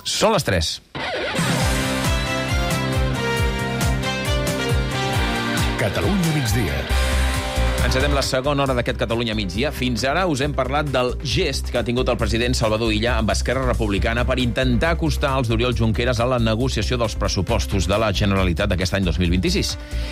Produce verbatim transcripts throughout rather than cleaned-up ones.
Són les tres. Catalunya migdia. Encetem la segona hora d'aquest Catalunya migdia. Fins ara us hem parlat del gest que ha tingut el president Salvador Illa amb Esquerra Republicana per intentar acostar els d'Oriol Junqueras a la negociació dels pressupostos de la Generalitat d'aquest any dos mil vint-i-sis.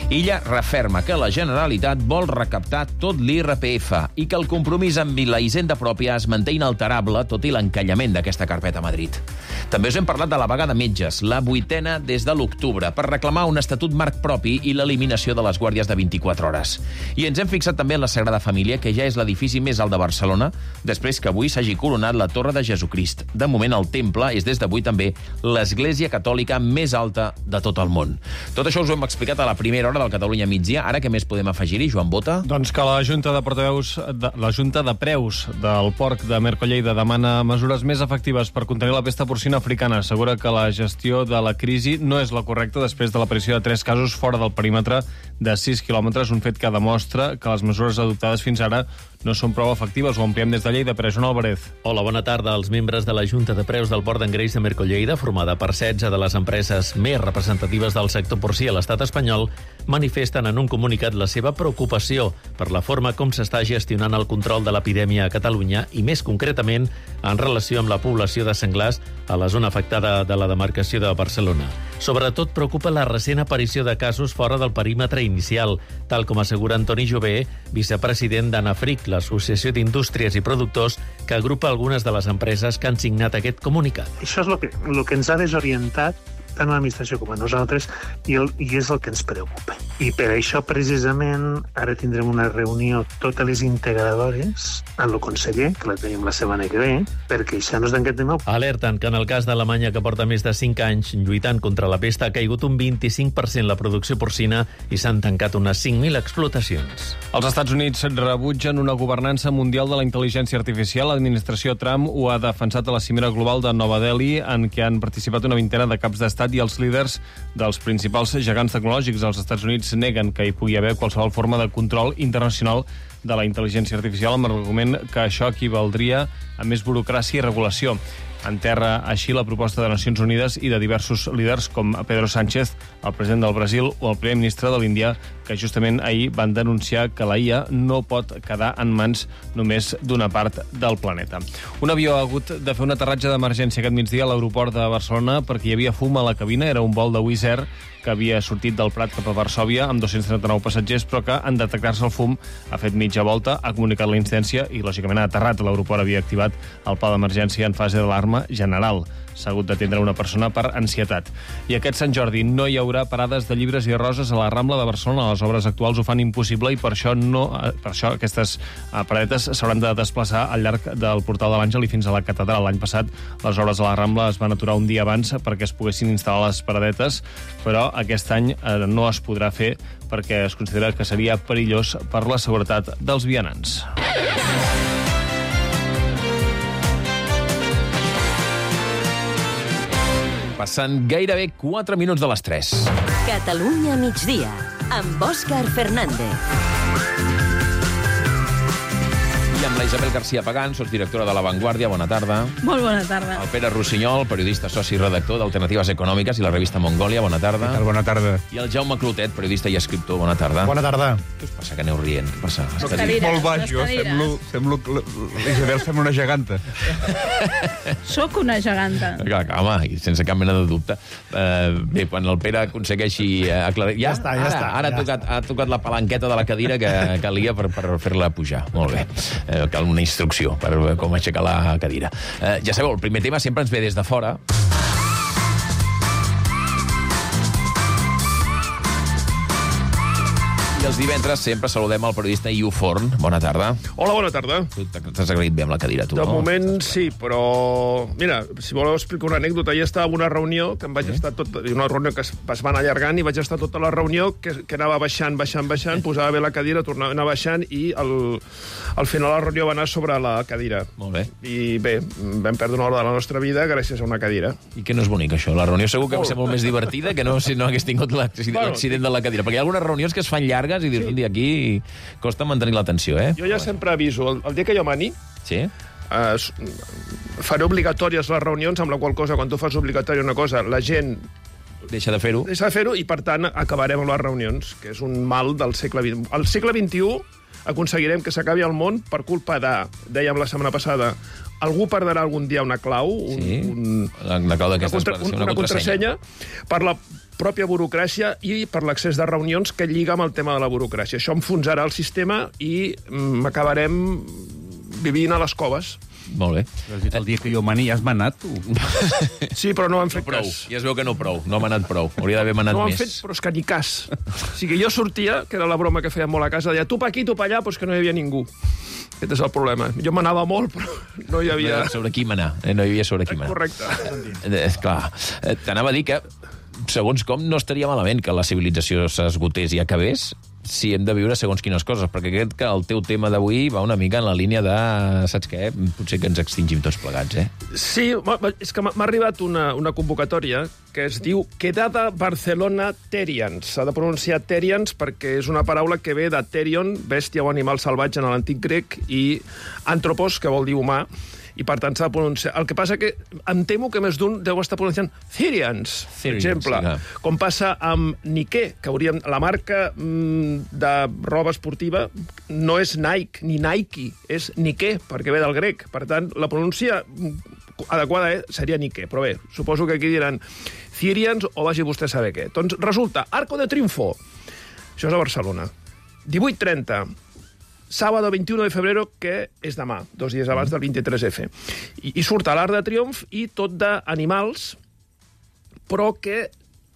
Illa referma que la Generalitat vol recaptar tot l'I R P F i que el compromís amb la hisenda pròpia es manté inalterable tot i l'encallament d'aquesta carpeta a Madrid. També us hem parlat de la vaga de metges, la vuitena des de l'octubre, per reclamar un estatut marc propi i l'eliminació de les guàrdies de vint-i-quatre hores. I ens hem fixat també en la Sagrada Família, que ja és l'edifici més alt de Barcelona, després que avui s'hagi coronat la Torre de Jesucrist. De moment, el temple és des d'avui també l'església catòlica més alta de tot el món. Tot això us ho hem explicat a la primera hora del Catalunya migdia. Ara què més podem afegir-hi, Joan Bota? Doncs que la Junta de Portaveus, de, la Junta de Preus del Porc de Mercolleida demana mesures més efectives per contenir la pesta porcina africana. Assegura que la gestió de la crisi no és la correcta després de l'aparició de tres casos fora del perímetre de sis quilòmetres, un fet que demostra que les mesures adoptades fins ara no són prou efectives. Ho ampliem des de Lleida per Joan Álvarez. Hola, bona tarda. Els membres de la Junta de Preus del Port d'Engreix de Mercolleida, formada per setze de les empreses més representatives del sector porcí a l'estat espanyol, manifesten en un comunicat la seva preocupació per la forma com s'està gestionant el control de l'epidèmia a Catalunya i, més concretament, en relació amb la població de senglars a la zona afectada de la demarcació de Barcelona. Sobretot preocupa la recent aparició de casos fora del perímetre inicial, tal com assegura Antoni Jové, vicepresident d'Anafric, l'Associació d'Indústries i Productors, que agrupa algunes de les empreses que han signat aquest comunicat. Això és el que, el que ens ha desorientat tant a l'administració com a nosaltres, i, el, i és el que ens preocupa. I per això, precisament, ara tindrem una reunió totes les integradores amb el conseller, que la tenim la setmana que ve, perquè això no és d'aquest tema. Alerten que en el cas d'Alemanya, que porta més de cinc anys lluitant contra la pesta, ha caigut un vint-i-cinc per cent la producció porcina i s'han tancat unes cinc mil explotacions. Els Estats Units rebutgen una governança mundial de la intel·ligència artificial. L'administració Trump ho ha defensat a la cimera global de Nova Delhi, en què han participat una vintena de caps d'estat i els líders dels principals gegants tecnològics. Els Estats Units neguen que hi pugui haver qualsevol forma de control internacional de la intel·ligència artificial, amb l'argument que això equivaldria a més burocràcia i regulació. Enterra així la proposta de Nacions Unides i de diversos líders com Pedro Sánchez, el president del Brasil, o el primer ministre de l'Índia, que justament ahir van denunciar que la I A no pot quedar en mans només d'una part del planeta. Un avió ha hagut de fer un aterratge d'emergència aquest migdia a l'aeroport de Barcelona perquè hi havia fum a la cabina. Era un vol de Wizz Air que havia sortit del Prat cap a Varsòvia amb dos-cents trenta-nou passatgers, però que en detectar-se el fum ha fet mitja volta, ha comunicat la incidència i, lògicament, ha aterrat. L'aeroport havia activat el pla d'emergència en fase d'alarma general. S'ha hagut d'atendre una persona per ansietat. I aquest Sant Jordi no hi haurà parades de llibres i roses a la Rambla de Barcelona. Les obres actuals ho fan impossible i per això, no, per això aquestes paradetes s'hauran de desplaçar al llarg del Portal de l'Àngel i fins a la catedral. L'any passat les obres a la Rambla es van aturar un dia abans perquè es poguessin instal·lar les paradetes, però aquest any no es podrà fer perquè es considera que seria perillós per la seguretat dels vianants. Passant gairebé quatre minuts de les tres. Catalunya migdia, amb Òscar Fernández. I amb la Isabel García Pagán, sotsdirectora de La Vanguardia. Bona tarda. Molt bona tarda. El Pere Rossinyol, periodista soci i redactor d'Alternatives Econòmiques i la revista Mongòlia. Bona tarda. Què tal? Bona tarda. I el Jaume Clotet, periodista i escriptor. Bona tarda. Bona tarda. Què us passa, que aneu rient? Què passa? Les Estic cadires, molt baix, les jo. cadires. Semblo, semblo, L'Isabel sembla una geganta. Sóc una geganta. Clar, clar, home, sense cap mena de dubte. Uh, bé, quan el Pere aconsegueixi uh, aclarir... Ja, Ja està, ja ara, està, Ara ja ha, tocat, ha tocat la palanqueta de la cadira que calia per, per fer-la pujar. Molt bé. Uh, cal una instrucció per com aixecar la cadira. Uh, ja sabeu, el primer tema sempre ens ve des de fora. I els divendres sempre saludem el periodista Iu Forn. Bona tarda. Hola, bona tarda. Tu t'has agraït bé amb la cadira, tu, De no? moment sí, però... Mira, si voleu explicar una anècdota, ja estava en una reunió que em vaig estar tot... Una reunió que es, es va anar allargant i vaig estar tota la reunió que, que anava baixant, baixant, baixant, posava bé la cadira, tornava a anar baixant i al, al final la reunió va anar sobre la cadira. Molt bé. I bé, vam perdre una hora de la nostra vida gràcies a una cadira. I que no és bonic, això. La reunió segur que va ser molt més divertida que no si no hagués tingut l'accident de la cadira. Perquè hi ha algunes reunions que es fan llargues i dius, sí. Un dia aquí costa mantenir l'atenció, eh? Jo ja sempre aviso, el, el dia que jo mani, Sí? eh, faré obligatòries les reunions, amb la qual cosa, quan tu fas obligatòria una cosa, la gent Deixa de fer-ho. deixa de fer-ho i, per tant, acabarem amb les reunions, que és un mal del segle vint. Al segle vint-i-u aconseguirem que s'acabi el món per culpa de, dèiem la setmana passada, algú perdrà algun dia una clau, un, Sí, un, la clau d'aquestes una, una, una contrasenya, per la pròpia burocràcia i per l'accés de reunions que lliga amb el tema de la burocràcia. Això enfonsarà el sistema i mm, acabarem vivint a les coves. Molt bé. Has dit el dia que jo mani, ja has manat, tu? Sí, però no han fet Prou. cas. Ja es veu que no prou. No m'ha anat prou. Hauria d'haver manat No ho han més. fet, però és que ni cas. O sigui, jo sortia, que era la broma que feien molt a casa, deia, tu pa aquí, tu pa allà, però és que no hi havia ningú. Aquest és el problema. Jo m'anava molt, però no hi havia... Sobre qui manar. Eh? No hi havia sobre qui manar. Correcte. Eh, clar, eh, t'anava a dir que, segons com, no estaria malament que la civilització s'esgotés i acabés si hem de viure segons quines coses, perquè crec que el teu tema d'avui va una mica en la línia de, saps què, potser que ens extingim tots plegats, eh? Sí, és que m'ha arribat una, una convocatòria que es diu Quedada Barcelona Terians. S'ha de pronunciar Terians perquè és una paraula que ve de Terion, bèstia o animal salvatge en l'antic grec, i Anthropos, que vol dir humà, i per tant s'ha de pronunciar. El que passa que em temo que més d'un deu estar pronunciant Therians, per Therians, exemple, sí, com passa amb Nike, que hauríem... La marca mm, de roba esportiva no és Nike ni Nike, és Nike, perquè ve del grec. Per tant, la pronúncia adequada eh, seria Nike, però bé, suposo que aquí diran Therians o vagi vostè a saber què. Doncs resulta, Arco de Triunfo, això és a Barcelona, divuit trenta, sábado veintiuno de febrero, que és demà, dos dies abans del vint-i-tres efe. I, i surt a l'Arc de Triomf i tot d'animals, però que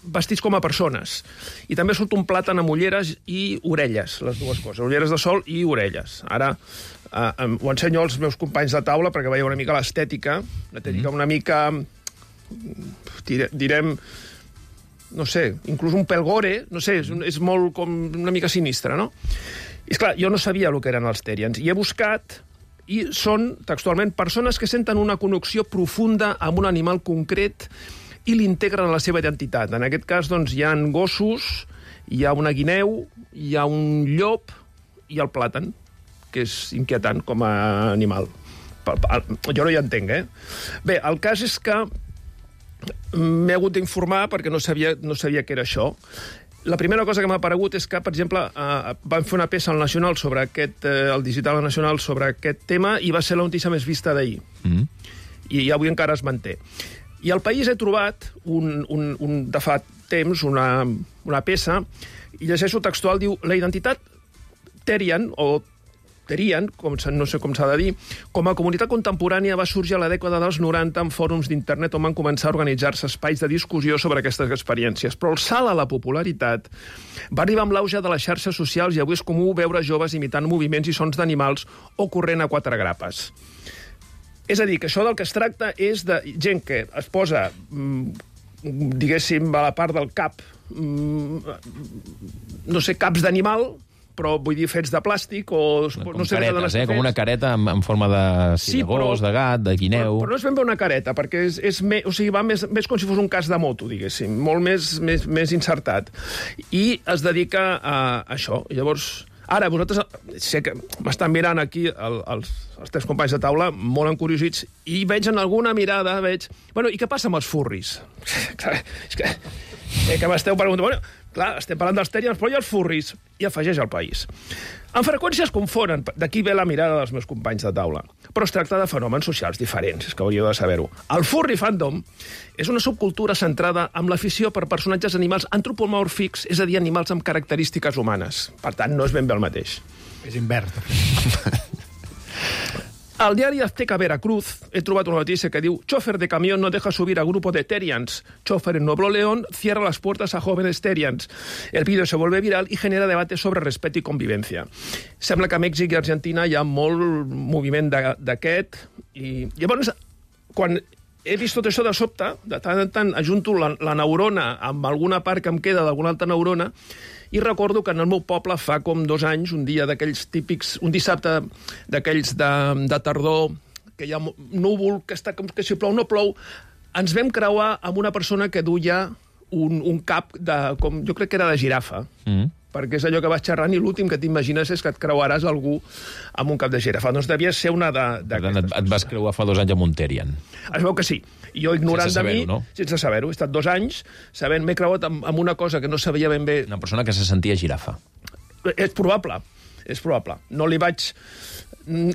vestits com a persones. I també surt un plàtan amb ulleres i orelles, les dues coses, ulleres de sol i orelles. Ara eh, ho ensenyo als meus companys de taula perquè veieu una mica l'estètica, l'estètica una mica, direm, no sé, inclús un pèl gore, no sé, és, és molt com una mica sinistre, no? I, esclar, jo no sabia el que eren els Terians, i he buscat, i són, textualment, persones que senten una connexió profunda amb un animal concret i l'integren en la seva identitat. En aquest cas, doncs, hi ha gossos, hi ha una guineu, hi ha un llop i el plàtan, que és inquietant com a animal. Jo no hi entenc, eh? Bé, el cas és que m'he hagut d'informar perquè no sabia, no sabia què era això. La primera cosa que m'ha aparegut és que, per exemple, eh, van fer una peça al Nacional sobre aquest, eh, el Digital Nacional sobre aquest tema i va ser la notícia més vista d'ahir. Mm. I, I avui encara es manté. I al País he trobat, un, un, un, de fa temps, una, una peça, i llegeixo textual, diu, la identitat Terian, o Terian, com, no sé com s'ha de dir, com a comunitat contemporània va sorgir a la dècada dels noranta en fòrums d'internet on van començar a organitzar-se espais de discussió sobre aquestes experiències. Però el salt a la popularitat va arribar amb l'auge de les xarxes socials i avui és comú veure joves imitant moviments i sons d'animals o corrent a quatre grapes. És a dir, que això del que es tracta és de gent que es posa, diguéssim, a la part del cap, no sé, caps d'animal, però vull dir fets de plàstic o... Com no sé caretes, eh? Com una careta en, en forma de, sí, sí, de gos, però, de gat, de guineu... Però, però no és ben bé una careta, perquè és, és me, o sigui, va més, més com si fos un cas de moto, diguéssim, molt més, més, més insertat. I es dedica a, a això. Llavors, ara, vosaltres... Sé que m'estan mirant aquí el, els, els tres companys de taula, molt encuriosits, i veig en alguna mirada, veig... Bueno, i què passa amb els furris? És que... Eh, que m'esteu preguntant... Bueno, clar, estem parlant dels Terians, però hi ha els furris, i afegeix al País. En freqüència es confonen, d'aquí ve la mirada dels meus companys de taula, però es tracta de fenòmens socials diferents, és que hauríeu de saber-ho. El furry fandom és una subcultura centrada en l'afició per personatges animals antropomòrfics, és a dir, animals amb característiques humanes. Per tant, no és ben bé el mateix. És invers, de fet. Al diari Azteca Veracruz he trobat una notícia que diu «Chofer de camión no deja subir a grupo de Terians. Chofer en Nuevo León cierra las puertas a jóvenes Terians». El vídeo se vuelve viral i genera debate sobre respeto i convivència. Sembla que a Mèxic i Argentina hi ha molt moviment d'aquest. I llavors, quan he vist tot això de sobte, de tant en tant ajunto la, la neurona amb alguna part que em queda d'alguna altra neurona, i recordo que en el meu poble fa com dos anys, un dia d'aquells típics, un dissabte d'aquells de, de tardor, que hi ha núvol, que està com que si plou no plou, ens vam creuar amb una persona que duia un, un cap de, com jo crec que era de girafa. Mm. perquè és allò que vas xerrant i l'últim que t'imagines és que et creuaràs algú amb un cap de girafa. Doncs devia ser una de... Per tant, et, et vas creuar fa dos anys amb un Terrian. Es veu que sí. I jo, ignorant de mi, no? sense saber-ho, he estat dos anys sabent, m'he creuat amb, amb una cosa que no sabia ben bé... Una persona que se sentia girafa. És probable, és probable. No li vaig...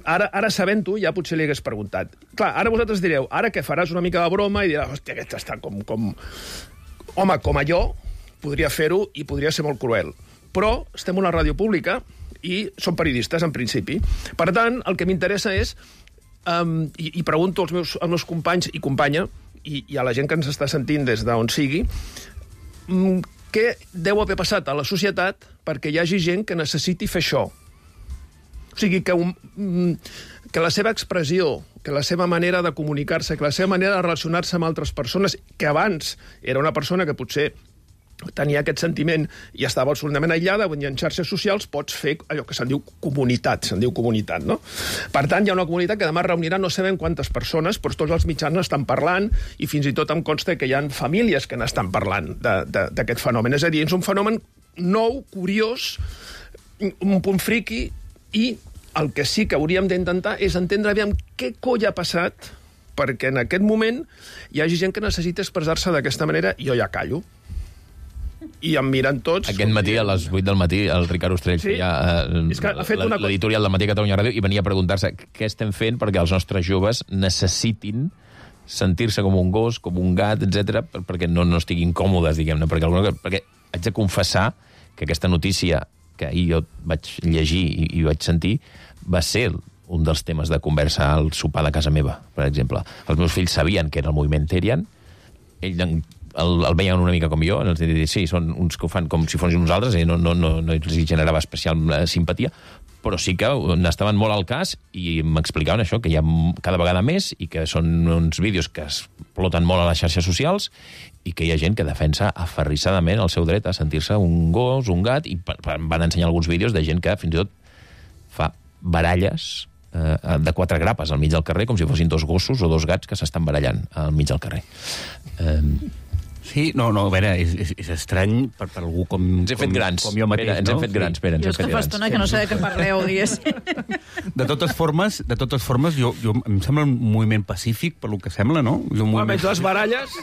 Ara, ara sabent-ho, ja potser li hagués preguntat. Clar, ara vosaltres direu, ara que faràs una mica de broma i diràs, hòstia, aquest està com... com... Home, com a jo, podria fer-ho i podria ser molt cruel. Però estem a una ràdio pública i som periodistes, en principi. Per tant, el que m'interessa és, um, i, i pregunto als meus, als meus companys i companya, i, i a la gent que ens està sentint des d'on sigui, um, què deu haver passat a la societat perquè hi hagi gent que necessiti fer això. O sigui, que, un, que la seva expressió, que la seva manera de comunicar-se, que la seva manera de relacionar-se amb altres persones, que abans era una persona que potser tenia aquest sentiment i estava absolutament aïllada, i en xarxes socials pots fer allò que se'n diu comunitat, se'n diu comunitat, no? Per tant, hi ha una comunitat que demà reunirà no sabem quantes persones, però tots els mitjans n'estan parlant i fins i tot em consta que hi ha famílies que n'estan parlant d'aquest fenomen. És a dir, és un fenomen nou, curiós, un punt friqui, i el que sí que hauríem d'intentar és entendre aviam què coll ha passat perquè en aquest moment hi hagi gent que necessita expressar-se d'aquesta manera i jo ja callo. I em miren tots... Aquest matí, a les vuit del matí, el Ricard Ostrell sí? feia uh, l'editorial del Matí a Catalunya Ràdio i venia a preguntar-se què estem fent perquè els nostres joves necessitin sentir-se com un gos, com un gat, etcètera, perquè no, no estiguin còmodes, diguem-ne. Perquè, alguna, perquè haig de confessar que aquesta notícia que ahir jo vaig llegir i, i vaig sentir, va ser un dels temes de conversa al sopar de casa meva, per exemple. Els meus fills sabien que era el moviment Terrian, ells el, el veien una mica com jo, els dir, sí, són uns que ho fan com si fossin uns altres, i no, no, no, no els generava especial simpatia, però sí que n'estaven molt al cas i m'explicaven això, que hi ha cada vegada més i que són uns vídeos que es exploten molt a les xarxes socials i que hi ha gent que defensa aferrissadament el seu dret a sentir-se un gos, un gat, i em van ensenyar alguns vídeos de gent que fins i tot fa baralles eh, de quatre grapes al mig del carrer, com si fossin dos gossos o dos gats que s'estan barallant al mig del carrer. Eh... Sí, no, no, a veure, és, és, és estrany per, per algú com, ens hem fet com, grans. com jo mateix, Pere, ens no? hem fet grans, Pere, ens jo hem fet grans. Jo és que fa estona que no sé de què parleu, diguéssim. De totes formes, de totes formes jo, jo, em sembla un moviment pacífic, per lo que sembla, no? Un moviment... Almenys les baralles...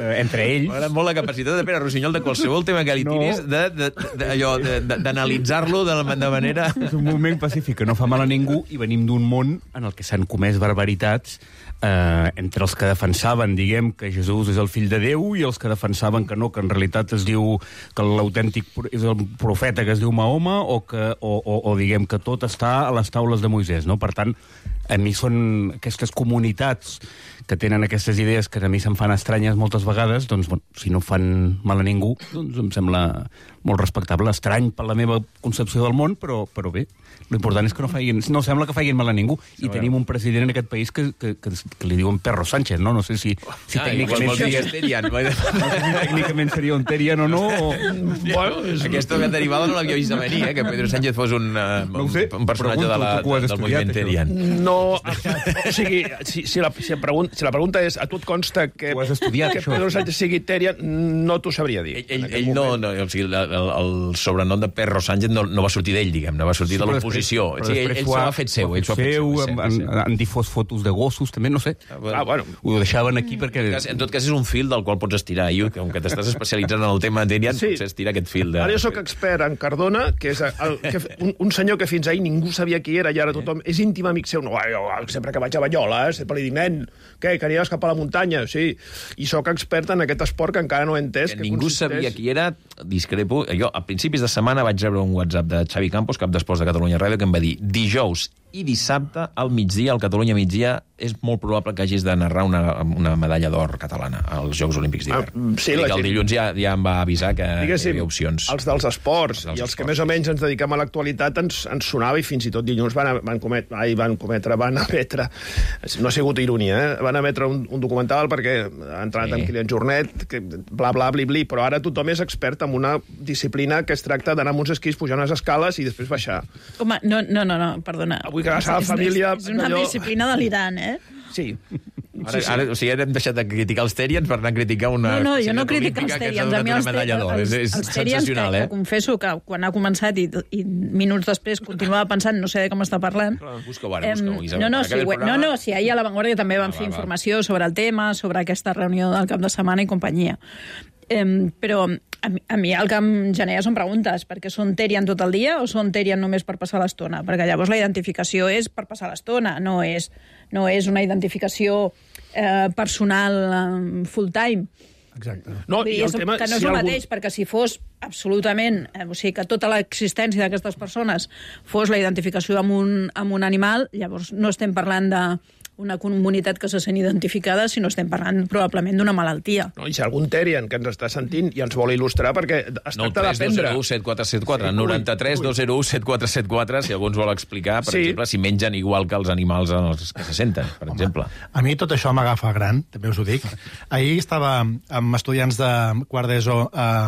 Eh, entre ells... M'agrada molt la capacitat de Pere Rossinyol de qualsevol tema que li tiris, no. d'analitzar-lo de, de, de, de manera... És un moviment pacífic que no fa mal a ningú i venim d'un món en el que s'han comès barbaritats eh, entre els que defensaven, diguem, que Jesús és el fill de Déu i els que defensaven que no, que en realitat es diu que l'autèntic és el profeta que es diu Mahoma o, que, o, o, o diguem que tot està a les taules de Moisès, no? Per tant, a mi són aquestes comunitats que tenen aquestes idees que a mi se'm fan estranyes moltes vegades, doncs, bueno, si no fan mal a ningú, doncs em sembla molt respectable, estrany per la meva concepció del món, però, però bé, l'important és que no facin, no sembla que facin mal a ningú. I sí, tenim un president en aquest país que, que, que, que li diuen Perro Sánchez, no? No sé si, si ah, tècnicament, seria, Terian. no sé si tècnicament seria un Terian o no. O... Bueno, és... Aquesta derivada no l'havia vist a venir, eh? Que Pedro Sánchez fos un, uh, no sé, un personatge de la, del moviment Terian. No, o sigui, si, si, la, si, la pregunta, si la pregunta és a tu et consta que, estudiat, que Pedro Sánchez sigui Terian, no t'ho sabria dir. Ell, ell, ell no, no, o sigui, el, el sobrenom de Perro Sánchez no, no va sortir d'ell, diguem, no va sortir sí, de l'oposició. Sí, ell, ell s'ho ha fet seu. Ell s'ho ha fet seu, seu han, han difós fotos de gossos, també, no sé. Ah, bueno. Ho deixaven aquí perquè... En, cas, en tot cas, és un fil del qual pots estirar. I com que t'estàs especialitzant en el tema Terian, sí. Potser estira aquest fil. De... Ara jo soc expert en Cardona, que és el, que, un, un senyor que fins ahir ningú sabia qui era i ara tothom és íntim amic seu. No, jo, sempre que vaig a Banyoles, sempre li dic, nen, què, que anives cap a la muntanya? Sí. I sóc expert en aquest esport que encara no he entès. Que, que ningú consisteix... sabia qui era, discrepo. Jo, a principis de setmana vaig rebre un WhatsApp de Xavi Campos, cap d'esports de Catalunya Ràdio, que em va dir dijous i dissabte al migdia, al Catalunya migdia, és molt probable que hagis de narrar una, una medalla d'or catalana als Jocs Olímpics d'hivern. Ah, sí, el gent... dilluns ja, ja em va avisar que hi havia opcions. Els dels esports, els dels i els esports, que més o menys ens dediquem a l'actualitat ens, ens sonava i fins i tot dilluns van, van, comet, ai, van cometre, van emetre, no ha sigut ironia, eh? Van emetre un, un documental perquè ha entrat sí. amb Kilian Jornet, que bla, bla, bli, bli, però ara tothom és expert en una disciplina que es tracta d'anar amb uns esquís, pujar unes escales i després baixar. Home, no, no, no, no perdona. Avui que vas a la família... És, és una allò... disciplina delirant, eh? Sí. Ara, ara, o sigui, ara hem deixat de criticar els Terians per anar a criticar una... No, no, jo no critico els Terians. A mi els, medalla d'or. els, És, és els Terians, que, sensacional, eh? que confesso que quan ha començat i, i minuts després continuava pensant, no sé de com està parlant... Busca-ho ara, busca-ho, Isabel. No, no, sí, programa... no, no, sí, ahir a La Vanguardia també van ah, fer va, informació va. sobre el tema, sobre aquesta reunió del cap de setmana i companyia. Eh, però a mi, a mi el que em genera són preguntes, perquè són Terian tot el dia o són Terian només per passar l'estona? Perquè llavors la identificació és per passar l'estona, no és, no és una identificació eh, personal eh, full-time. Exacte. No, i el tema, que no és si el algun... mateix, perquè si fos absolutament... Eh, o sigui, que tota l'existència d'aquestes persones fos la identificació amb un, amb un animal, llavors no estem parlant de una comunitat que se sent identificada, sinó estem parlant probablement d'una malaltia. No, i si algun Terian que ens està sentint i ens vol il·lustrar, perquè es tracta d'aprendre... nou tres dos zero u set quatre set quatre, noranta-tres dos zero u set quatre set quatre, si algú ens vol explicar, per sí. exemple, si mengen igual que els animals els que se senten, per Home, exemple. A mi tot això m'agafa gran, també us ho dic. Ahir estava amb estudiants de quart d'ESO eh,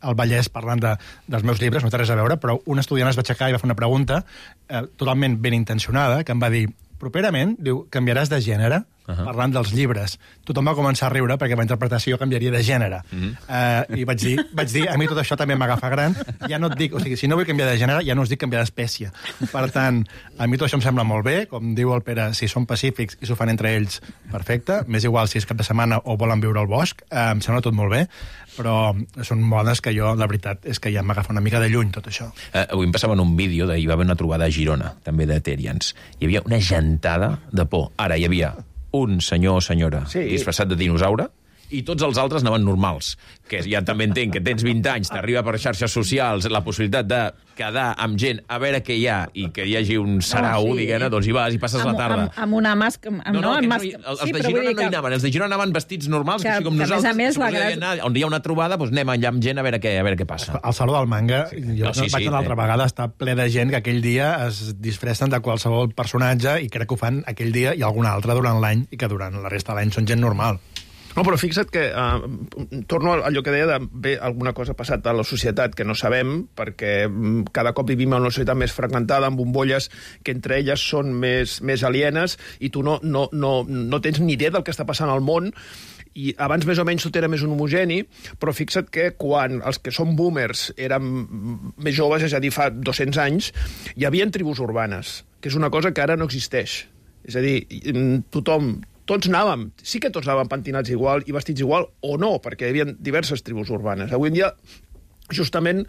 al Vallès parlant de, dels meus llibres, no té res a veure, però un estudiant es va aixecar i va fer una pregunta eh, totalment ben intencionada, que em va dir: properament, diu, canviaràs de gènere, uh -huh. parlant dels llibres. Tothom va començar a riure perquè la interpretació canviaria de gènere. Uh -huh. uh, I vaig dir, vaig dir, a mi tot això també m'agafa gran. Ja no et dic, o sigui, si no vull canviar de gènere, ja no us dic canviar d'espècie. Per tant, a mi tot això em sembla molt bé. Com diu el Pere, si són pacífics i s'ho fan entre ells, perfecte. M'és igual si és cap de setmana o volen viure al bosc. Uh, em sembla tot molt bé. Però són modes que jo, la veritat, és que ja m'agafa una mica de lluny tot això. Uh, avui em passava en un vídeo, d'ahir va haver una trobada a Girona, també de Terians. Hi havia una gentada de por. Ara hi havia un senyor o senyora sí. disfressat de dinosaure i tots els altres anaven normals, que ja també entenc que tens vint anys, t'arriba per xarxes socials la possibilitat de quedar amb gent a veure què hi ha i que hi hagi un sarau, no, sí. diguem-ne, doncs hi vas i passes amb, la tarda. Amb, amb una màscara... Amb, no, no, no, no, mas... els sí, de Girona no hi anaven, els de Girona anaven vestits normals, que, així com que nosaltres. A més, a més, la anar, on hi ha una trobada, doncs anem allà amb gent a veure què, a veure què passa. Al Saló del Manga, sí. jo no, sí, vaig sí, una altra eh. vegada, està ple de gent que aquell dia es disfressen de qualsevol personatge i crec que ho fan aquell dia i algun altre durant l'any i que durant la resta de l'any són gent normal. No, però fixa't que, uh, torno a allò que deia de bé, alguna cosa ha passat a la societat que no sabem, perquè cada cop vivim en una societat més fragmentada, amb bombolles que entre elles són més, més alienes, i tu no, no, no, no tens ni idea del que està passant al món, i abans més o menys tot era més un homogeni, però fixa't que quan els que són boomers eren més joves, és a dir, fa dos-cents anys, hi havia tribus urbanes, que és una cosa que ara no existeix. És a dir, tothom... Tots anàvem, sí que tots anàvem pentinats igual i vestits igual, o no, perquè hi havia diverses tribus urbanes. Avui en dia, justament,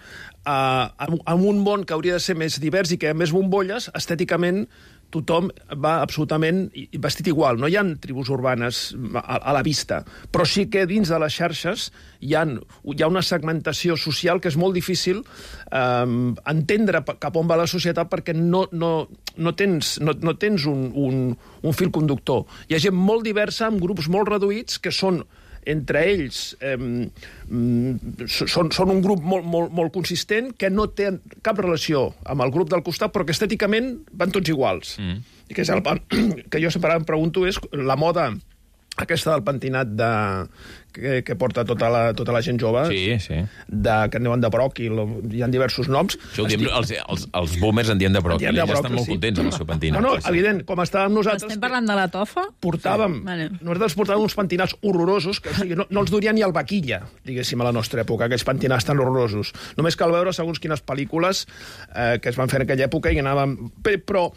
eh, en un món que hauria de ser més divers i que hi ha més bombolles, estèticament tothom va absolutament vestit igual. No hi ha tribus urbanes a, a la vista, però sí que dins de les xarxes hi ha, hi ha una segmentació social que és molt difícil eh, entendre cap on va la societat, perquè no, no, no tens, no, no tens un, un, un fil conductor. Hi ha gent molt diversa, amb grups molt reduïts, que són entre ells eh, són, són un grup molt, molt, molt consistent, que no té cap relació amb el grup del costat, però que estèticament van tots iguals. Mm. I que, és el, que jo sempre em pregunto és la moda aquesta del pentinat de, que, que porta tota la, tota la gent jove, sí, sí. De, que en diuen de bròquil, hi ha diversos noms. Això ho diem, els, els, els boomers en dien de bròquil, i ja estan molt sí. contents amb el seu pentinat. No, no, evident, com estàvem nosaltres... Estem parlant de la tofa? Portàvem, sí. vale. Nosaltres portàvem uns pentinats horrorosos, que o sigui, no, no els duria ni el vaquilla, diguéssim, a la nostra època, aquells pentinats tan horrorosos. Només cal veure segons quines pel·lícules eh, que es van fer en aquella època i anàvem... Però...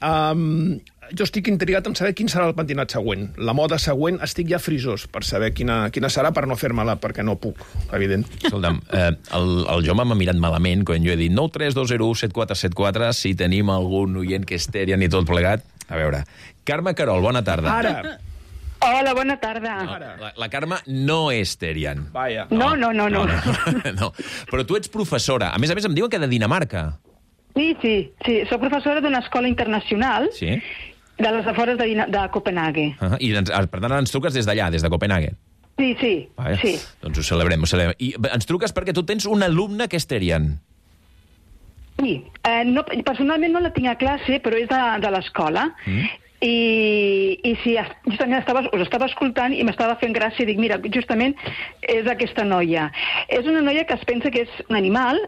Um, jo estic intrigat en saber quin serà el pentinat següent. La moda següent, estic ja frisós per saber quina, quina serà, per no fer-me-la, perquè no puc, evident. Escolta'm, eh, el, el Jaume m'ha mirat malament quan jo he dit nou tres dos zero u set quatre set quatre, si tenim algun oient que és Terian i tot plegat. A veure, Carme Carol, bona tarda. Ara! Hola, bona tarda. No, la, la Carme no és Terian. Vaja. No, no, no, no. no, no, no. Però tu ets professora. A més a més, em diuen que de Dinamarca. Sí, sí, sí. Soc professora d'una escola internacional. Sí. De les afores de, de Copenhague. Uh -huh. I ens, per tant ens truques des d'allà, des de Copenhague. Sí, sí, Vaja. sí. Doncs ho celebrem, ho celebrem. I ens truques perquè tu tens un alumne que és Terian. Sí, eh, no, personalment no la tinc a classe, però és de, de l'escola. Mm. I, i sí, justament estava, us estava escoltant i m'estava fent gràcia i dic, mira, justament és aquesta noia. És una noia que es pensa que és un animal,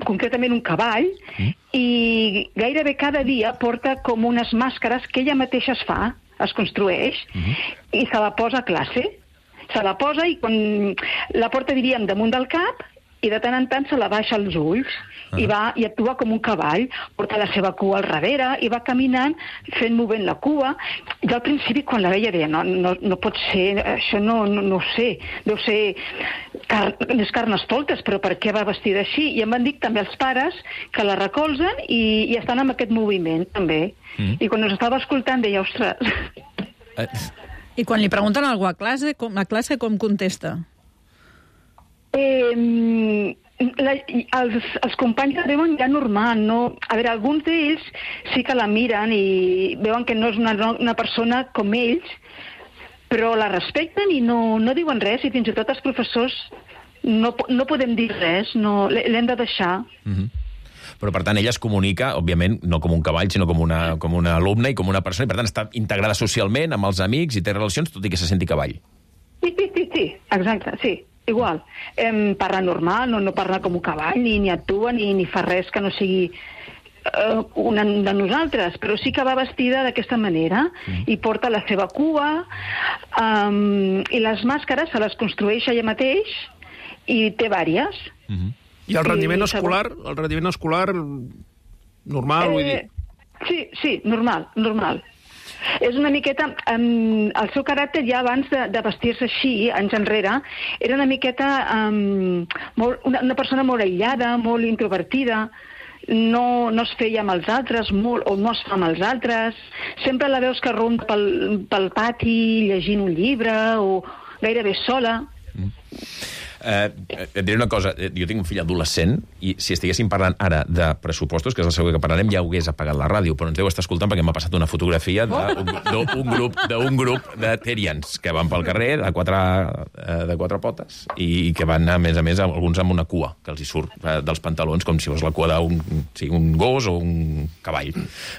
concretament un cavall, mm. i gairebé cada dia porta com unes màscares que ella mateixa es fa, es construeix, Uh-huh. i se la posa a classe. Se la posa i quan la porta, diríem, damunt del cap, i de tant en tant se la baixa als ulls, uh-huh. i, va, i actua com un cavall, porta la seva cua al darrere, i va caminant, fent movent la cua. Jo al principi, quan la veia, deia, no, no, no pot ser, això no, no, no ho sé, deu ser car les carnestoltes, però per què va vestida així? I em van dir també els pares que la recolzen i, i estan amb aquest moviment, també. Uh-huh. I quan us estava escoltant, deia, ostres... Eh. I quan li pregunten alguna cosa a classe, com, a classe com contesta? Eh, la, els, els companys la veuen ja normal, no? A veure, alguns d'ells sí que la miren i veuen que no és una, una persona com ells, però la respecten i no, no diuen res, i fins i tot els professors no, no podem dir res, no, l'hem de deixar. Uh-huh. Però, per tant, ella es comunica, òbviament, no com un cavall, sinó com una, com una alumna i com una persona, i, per tant, està integrada socialment amb els amics i té relacions, tot i que se senti cavall. Sí, sí, sí, sí, exacte, sí, igual. Em parla normal, no, no parla com un cavall, ni, ni actua, ni, ni fa res que no sigui uh, una de nosaltres, però sí que va vestida d'aquesta manera, mm. i porta la seva cua, um, i les màscares se les construeix ella mateix, i té vàries. Mm-hmm. I el rendiment sí, escolar, el rendiment escolar normal, eh, vull dir... Sí, sí, normal, normal. És una miqueta... Um, el seu caràcter ja abans de, de vestir-se així, anys enrere, era una miqueta... Um, molt, una, una persona molt aïllada, molt introvertida, no, no es feia amb els altres, molt, o no es fa amb els altres. Sempre la veus que ronda pel, pel pati llegint un llibre, o gairebé sola. Mm. Eh, et diré una cosa, jo tinc un fill adolescent i si estiguéssim parlant ara de pressupostos, que és el següent que parlarem, ja hagués apagat la ràdio, però ens deu estar escoltant perquè m'ha passat una fotografia d'un grup, d'un grup de Terians que van pel carrer de quatre, de quatre potes i que van, a més a més, alguns amb una cua que els hi surt dels pantalons com si fos la cua d'un sí, un gos o un cavall.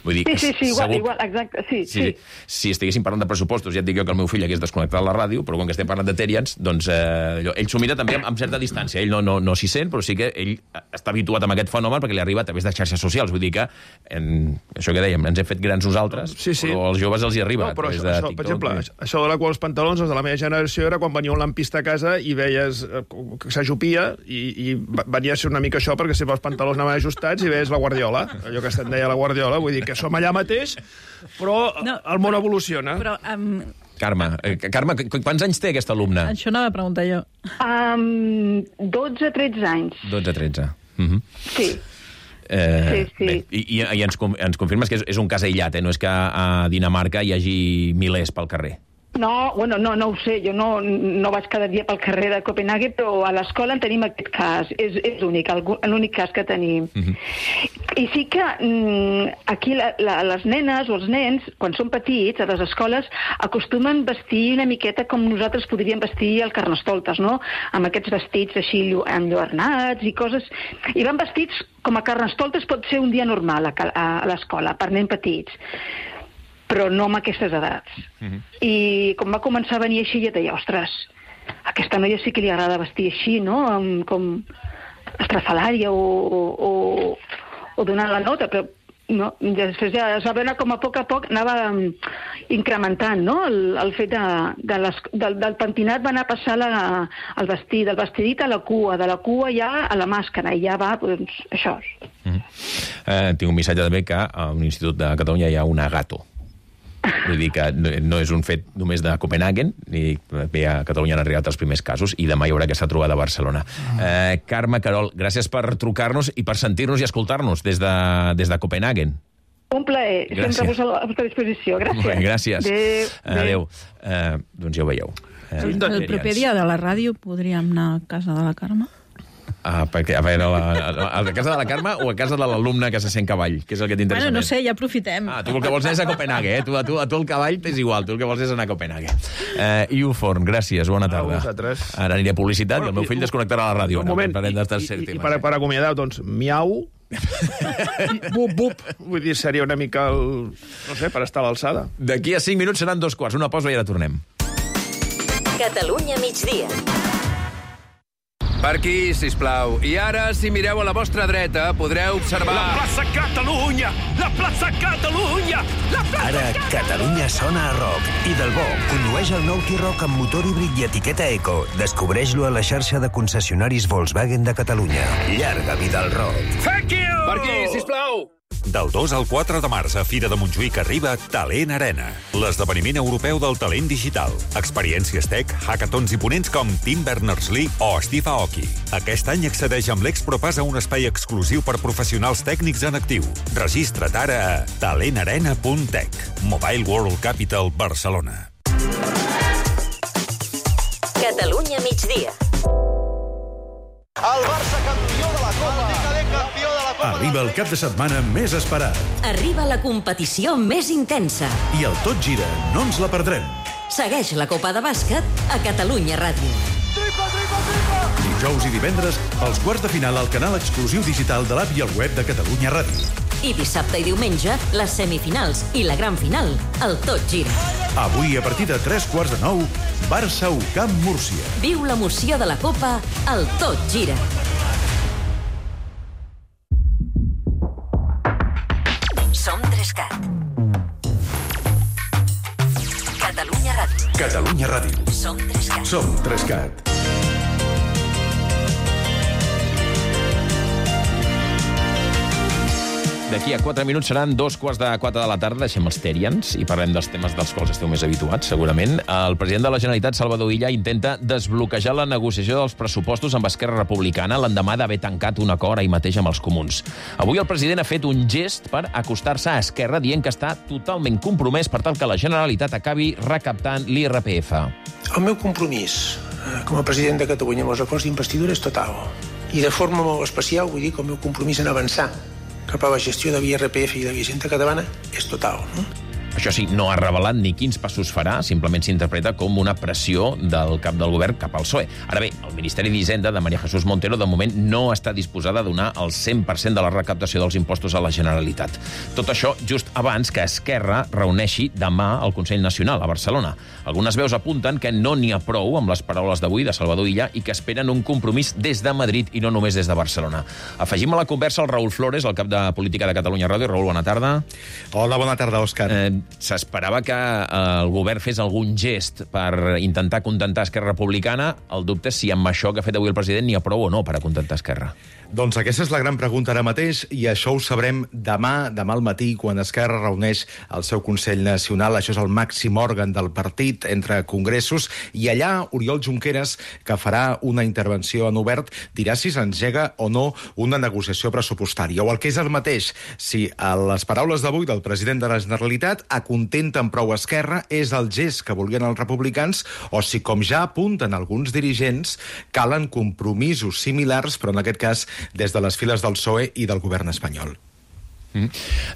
Vull dir, sí, sí, sí, igual, segur, igual, exacte, sí, sí, sí. Si estiguéssim parlant de pressupostos, ja et dic jo que el meu fill hagués desconnectat la ràdio, però quan que estem parlant de Terians, doncs eh, ell s'ho mira també amb certa distància. Ell no, no, no s'hi sent, però sí que ell està habituat amb aquest fenomen perquè li arriba a través de xarxes socials. Vull dir que, en, això que dèiem, ens hem fet grans nosaltres, sí, sí. però als joves els hi arriba. No, però a això, de això, TikTok, per exemple, i... això de la cua als pantalons, els de la meva generació, era quan venia un lampista a casa i veies que s'ajupia i, i venia a ser una mica això perquè sempre els pantalons anaven ajustats i veies la guardiola, allò que se'n deia la guardiola. Vull dir que som allà mateix, però no, el món evoluciona. Però... Um... Carme, eh, Carme, quants anys té aquesta alumna? Això anava a preguntar jo. Um, dotze tretze anys. dotze tretze. Uh-huh. Sí. Eh, sí, sí. Bé, i i, i ens, ens confirmes que és, és un cas aïllat, eh? No és que a Dinamarca hi hagi milers pel carrer. No, bueno, no, no ho sé, jo no, no vaig cada dia pel carrer de Copenhague, però a l'escola en tenim aquest cas, és, és únic, l'únic cas que tenim. Uh-huh. I sí que mm, aquí la, la, les nenes o els nens, quan són petits, a les escoles, acostumen vestir una miqueta com nosaltres podríem vestir el Carnestoltes, no? Amb aquests vestits així enlluernats i coses... I van vestits com a Carnestoltes pot ser un dia normal a, a, a l'escola, per nens petits, però no amb aquestes edats. Uh-huh. I com va començar a venir així, ja deia, ostres, a aquesta noia sí que li agrada vestir així, no? Amb, com estrafalària o, o, o donant la nota, però no, després ja es va veure com a poc a poc anava incrementant, no? El, el fet de, de les, del, del pentinat va anar a passar la, el vestit, del vestidit a la cua, de la cua ja a la màscara, i ja va, doncs, això. Uh-huh. eh, tinc un missatge també que a un institut de Catalunya hi ha una gato. Vull dir que no és un fet només de Copenhagen, i bé, a Catalunya han arribat els primers casos, i demà hi haurà aquesta trobada a Barcelona. Eh, Carme, Carol, gràcies per trucar-nos i per sentir-nos i escoltar-nos des de, des de Copenhagen. Un plaer, gràcies. Sempre a la vostra disposició. Gràcies. Bé, gràcies. Adéu. Adéu. Eh, doncs ja ho veieu. Eh, el, el proper dia de la ràdio podríem anar a casa de la Carme? Ah, perquè, a veure, a, a, a casa de la Carme o a casa de l'alumne que se sent cavall? Que és el que t'interessa bueno, no més? sé, ja aprofitem. Ah, tu el que vols és a Copenhague, eh? Tu, a, tu, a tu el cavall t'és igual, tu el que vols és anar a Copenhague. Eh, Iu Forn, gràcies, bona tarda. A vosaltres. Ara aniré a publicitat bueno, i el meu fill i, desconnectarà la ràdio. Un moment, ara, i, i, i, i per, per acomiadar, doncs, miau, bup, bup. Vull dir, seria una mica el... no sé, per estar a l'alçada. D'aquí a cinc minuts seran dos quarts, una pausa i ara tornem. Catalunya migdia. Per aquí, sisplau. I ara, si mireu a la vostra dreta, podreu observar... La plaça Catalunya! La plaça Catalunya! La plaça Ara, Catalunya sona a rock. I del bo, condueix el nou T-Roc amb motor híbrid i etiqueta Eco. Descobreix-lo a la xarxa de concessionaris Volkswagen de Catalunya. Llarga vida al rock. Thank you! Per aquí, sisplau! Del dos al quatre de març a Fira de Montjuïc arriba Talent Arena, l'esdeveniment europeu del talent digital. Experiències tech, hackathons i ponents com Tim Berners-Lee o Steve Aoki. Aquest any accedeix amb l'ExproPass a un espai exclusiu per professionals tècnics en actiu. Registra't ara a talent arena punt tech. Mobile World Capital, Barcelona. Catalunya migdia. El Barça campió de la Copa. El decadent campió de la Copa. Arriba el cap de setmana més esperat. Arriba la competició més intensa. I el Tot Gira no ens la perdrem. Segueix la Copa de Bàsquet a Catalunya Ràdio. Tripa, tripa, tripa! Dijous i divendres, els quarts de final al canal exclusiu digital de l'app i el web de Catalunya Ràdio. I dissabte i diumenge, les semifinals i la gran final, el Tot Gira. Avui, a partir de tres quarts de nou, Barça u Camp Múrcia. Viu l'emoció de la Copa al Tot Gira. Som Trescat. Catalunya Ràdio. Catalunya Ràdio. Som Trescat. Som Trescat. D'aquí a quatre minuts seran dos quarts de quatre de la tarda. Deixem els Terians i parlem dels temes dels quals esteu més habituats, segurament. El president de la Generalitat, Salvador Illa, intenta desbloquejar la negociació dels pressupostos amb Esquerra Republicana l'endemà d'haver tancat un acord ahir mateix amb els comuns. Avui el president ha fet un gest per acostar-se a Esquerra, dient que està totalment compromès per tal que la Generalitat acabi recaptant l'I R P F. El meu compromís com a president de Catalunya amb els acords d'investidura és total. I de forma molt especial vull dir que el meu compromís en avançar cap a la gestió de l'I R P F i de la Hisenda catalana és total. No? Això sí, no ha revelat ni quins passos farà, simplement s'interpreta com una pressió del cap del govern cap al P S O E. Ara bé, el Ministeri d'Hisenda de María Jesús Montero de moment no està disposada a donar el cent per cent de la recaptació dels impostos a la Generalitat. Tot això just abans que Esquerra reuneixi demà al Consell Nacional a Barcelona. Algunes veus apunten que no n'hi ha prou amb les paraules d'avui de Salvador Illa i que esperen un compromís des de Madrid i no només des de Barcelona. Afegim a la conversa el Raül Flores, el cap de política de Catalunya Ràdio. Raül, bona tarda. Hola, bona tarda, Òscar. Eh, S'esperava que el govern fes algun gest per intentar contentar Esquerra Republicana. El dubte és si amb això que ha fet avui el president n'hi ha prou o no per a contentar Esquerra. Doncs aquesta és la gran pregunta ara mateix i això ho sabrem demà, demà al matí, quan Esquerra reuneix el seu Consell Nacional. Això és el màxim òrgan del partit entre congressos i allà Oriol Junqueras, que farà una intervenció en obert, dirà si s'engega o no una negociació pressupostària. O el que és el mateix, si a les paraules d'avui del president de la Generalitat acontenten prou Esquerra, és el gest que volien els republicans, o si, com ja apunten alguns dirigents, calen compromisos similars, però en aquest cas des de les files del P S O E i del govern espanyol. Mm.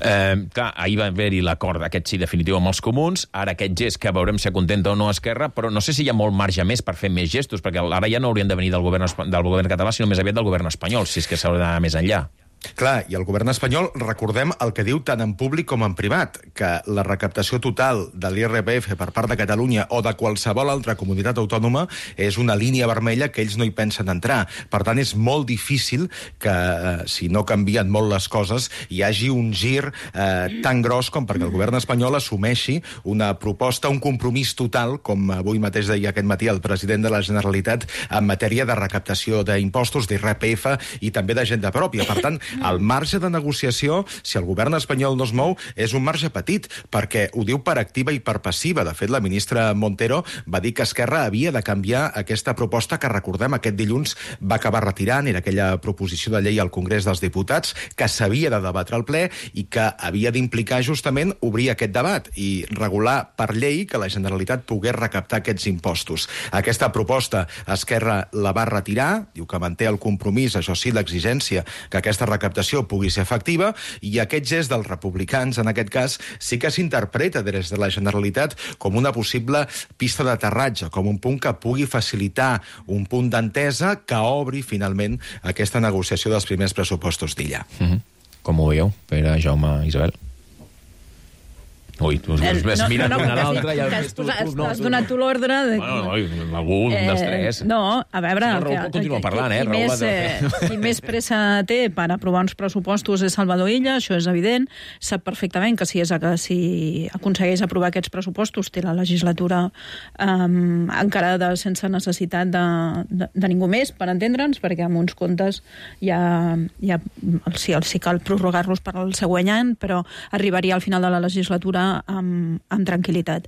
Eh, clar, ahir va haver-hi l'acord aquest sí definitiu amb els comuns, ara aquest gest que veurem si acontenta o no Esquerra, però no sé si hi ha molt marge més per fer més gestos, perquè ara ja no haurien de venir del govern, del govern català, sinó més aviat del govern espanyol, si és que s'haurà d'anar més enllà. Clar, i el govern espanyol, recordem el que diu tant en públic com en privat, que la recaptació total de l'I R P F per part de Catalunya o de qualsevol altra comunitat autònoma és una línia vermella que ells no hi pensen entrar. Per tant, és molt difícil que, eh, si no canvien molt les coses, hi hagi un gir eh, tan gros com perquè el govern espanyol assumeixi una proposta, un compromís total, com avui mateix deia aquest matí el president de la Generalitat, en matèria de recaptació d'impostos, d'I R P F i també d'agenda pròpia. Per tant, el marge de negociació, si el govern espanyol no es mou, és un marge petit, perquè ho diu per activa i per passiva. De fet, la ministra Montero va dir que Esquerra havia de canviar aquesta proposta que, recordem, aquest dilluns va acabar retirant, era aquella proposició de llei al Congrés dels Diputats que s'havia de debatre al ple i que havia d'implicar justament obrir aquest debat i regular per llei que la Generalitat pogués recaptar aquests impostos. Aquesta proposta Esquerra la va retirar, diu que manté el compromís, això sí, l'exigència que aquesta recaptació pugui ser efectiva, i aquest gest dels republicans, en aquest cas, sí que s'interpreta des de la Generalitat com una possible pista d'aterratge, com un punt que pugui facilitar un punt d'entesa que obri finalment aquesta negociació dels primers pressupostos d'Illa. Mm-hmm. Com ho veieu, Pere, Jaume, Isabel? Ui, tu has mirat una a l'altra i has tu... Has donat tu l'ordre... Bueno, algú, un dels tres. No, a veure... Raül continua parlant, eh? Qui més pressa té per aprovar uns pressupostos és Salvador Illa, això és evident. Sap perfectament que si aconsegueix aprovar aquests pressupostos té la legislatura encarada sense necessitat de ningú més, per entendre'ns, perquè amb uns comptes ja sí cal prorrogar-los per al següent any, però arribaria al final de la legislatura amb, amb tranquil·litat.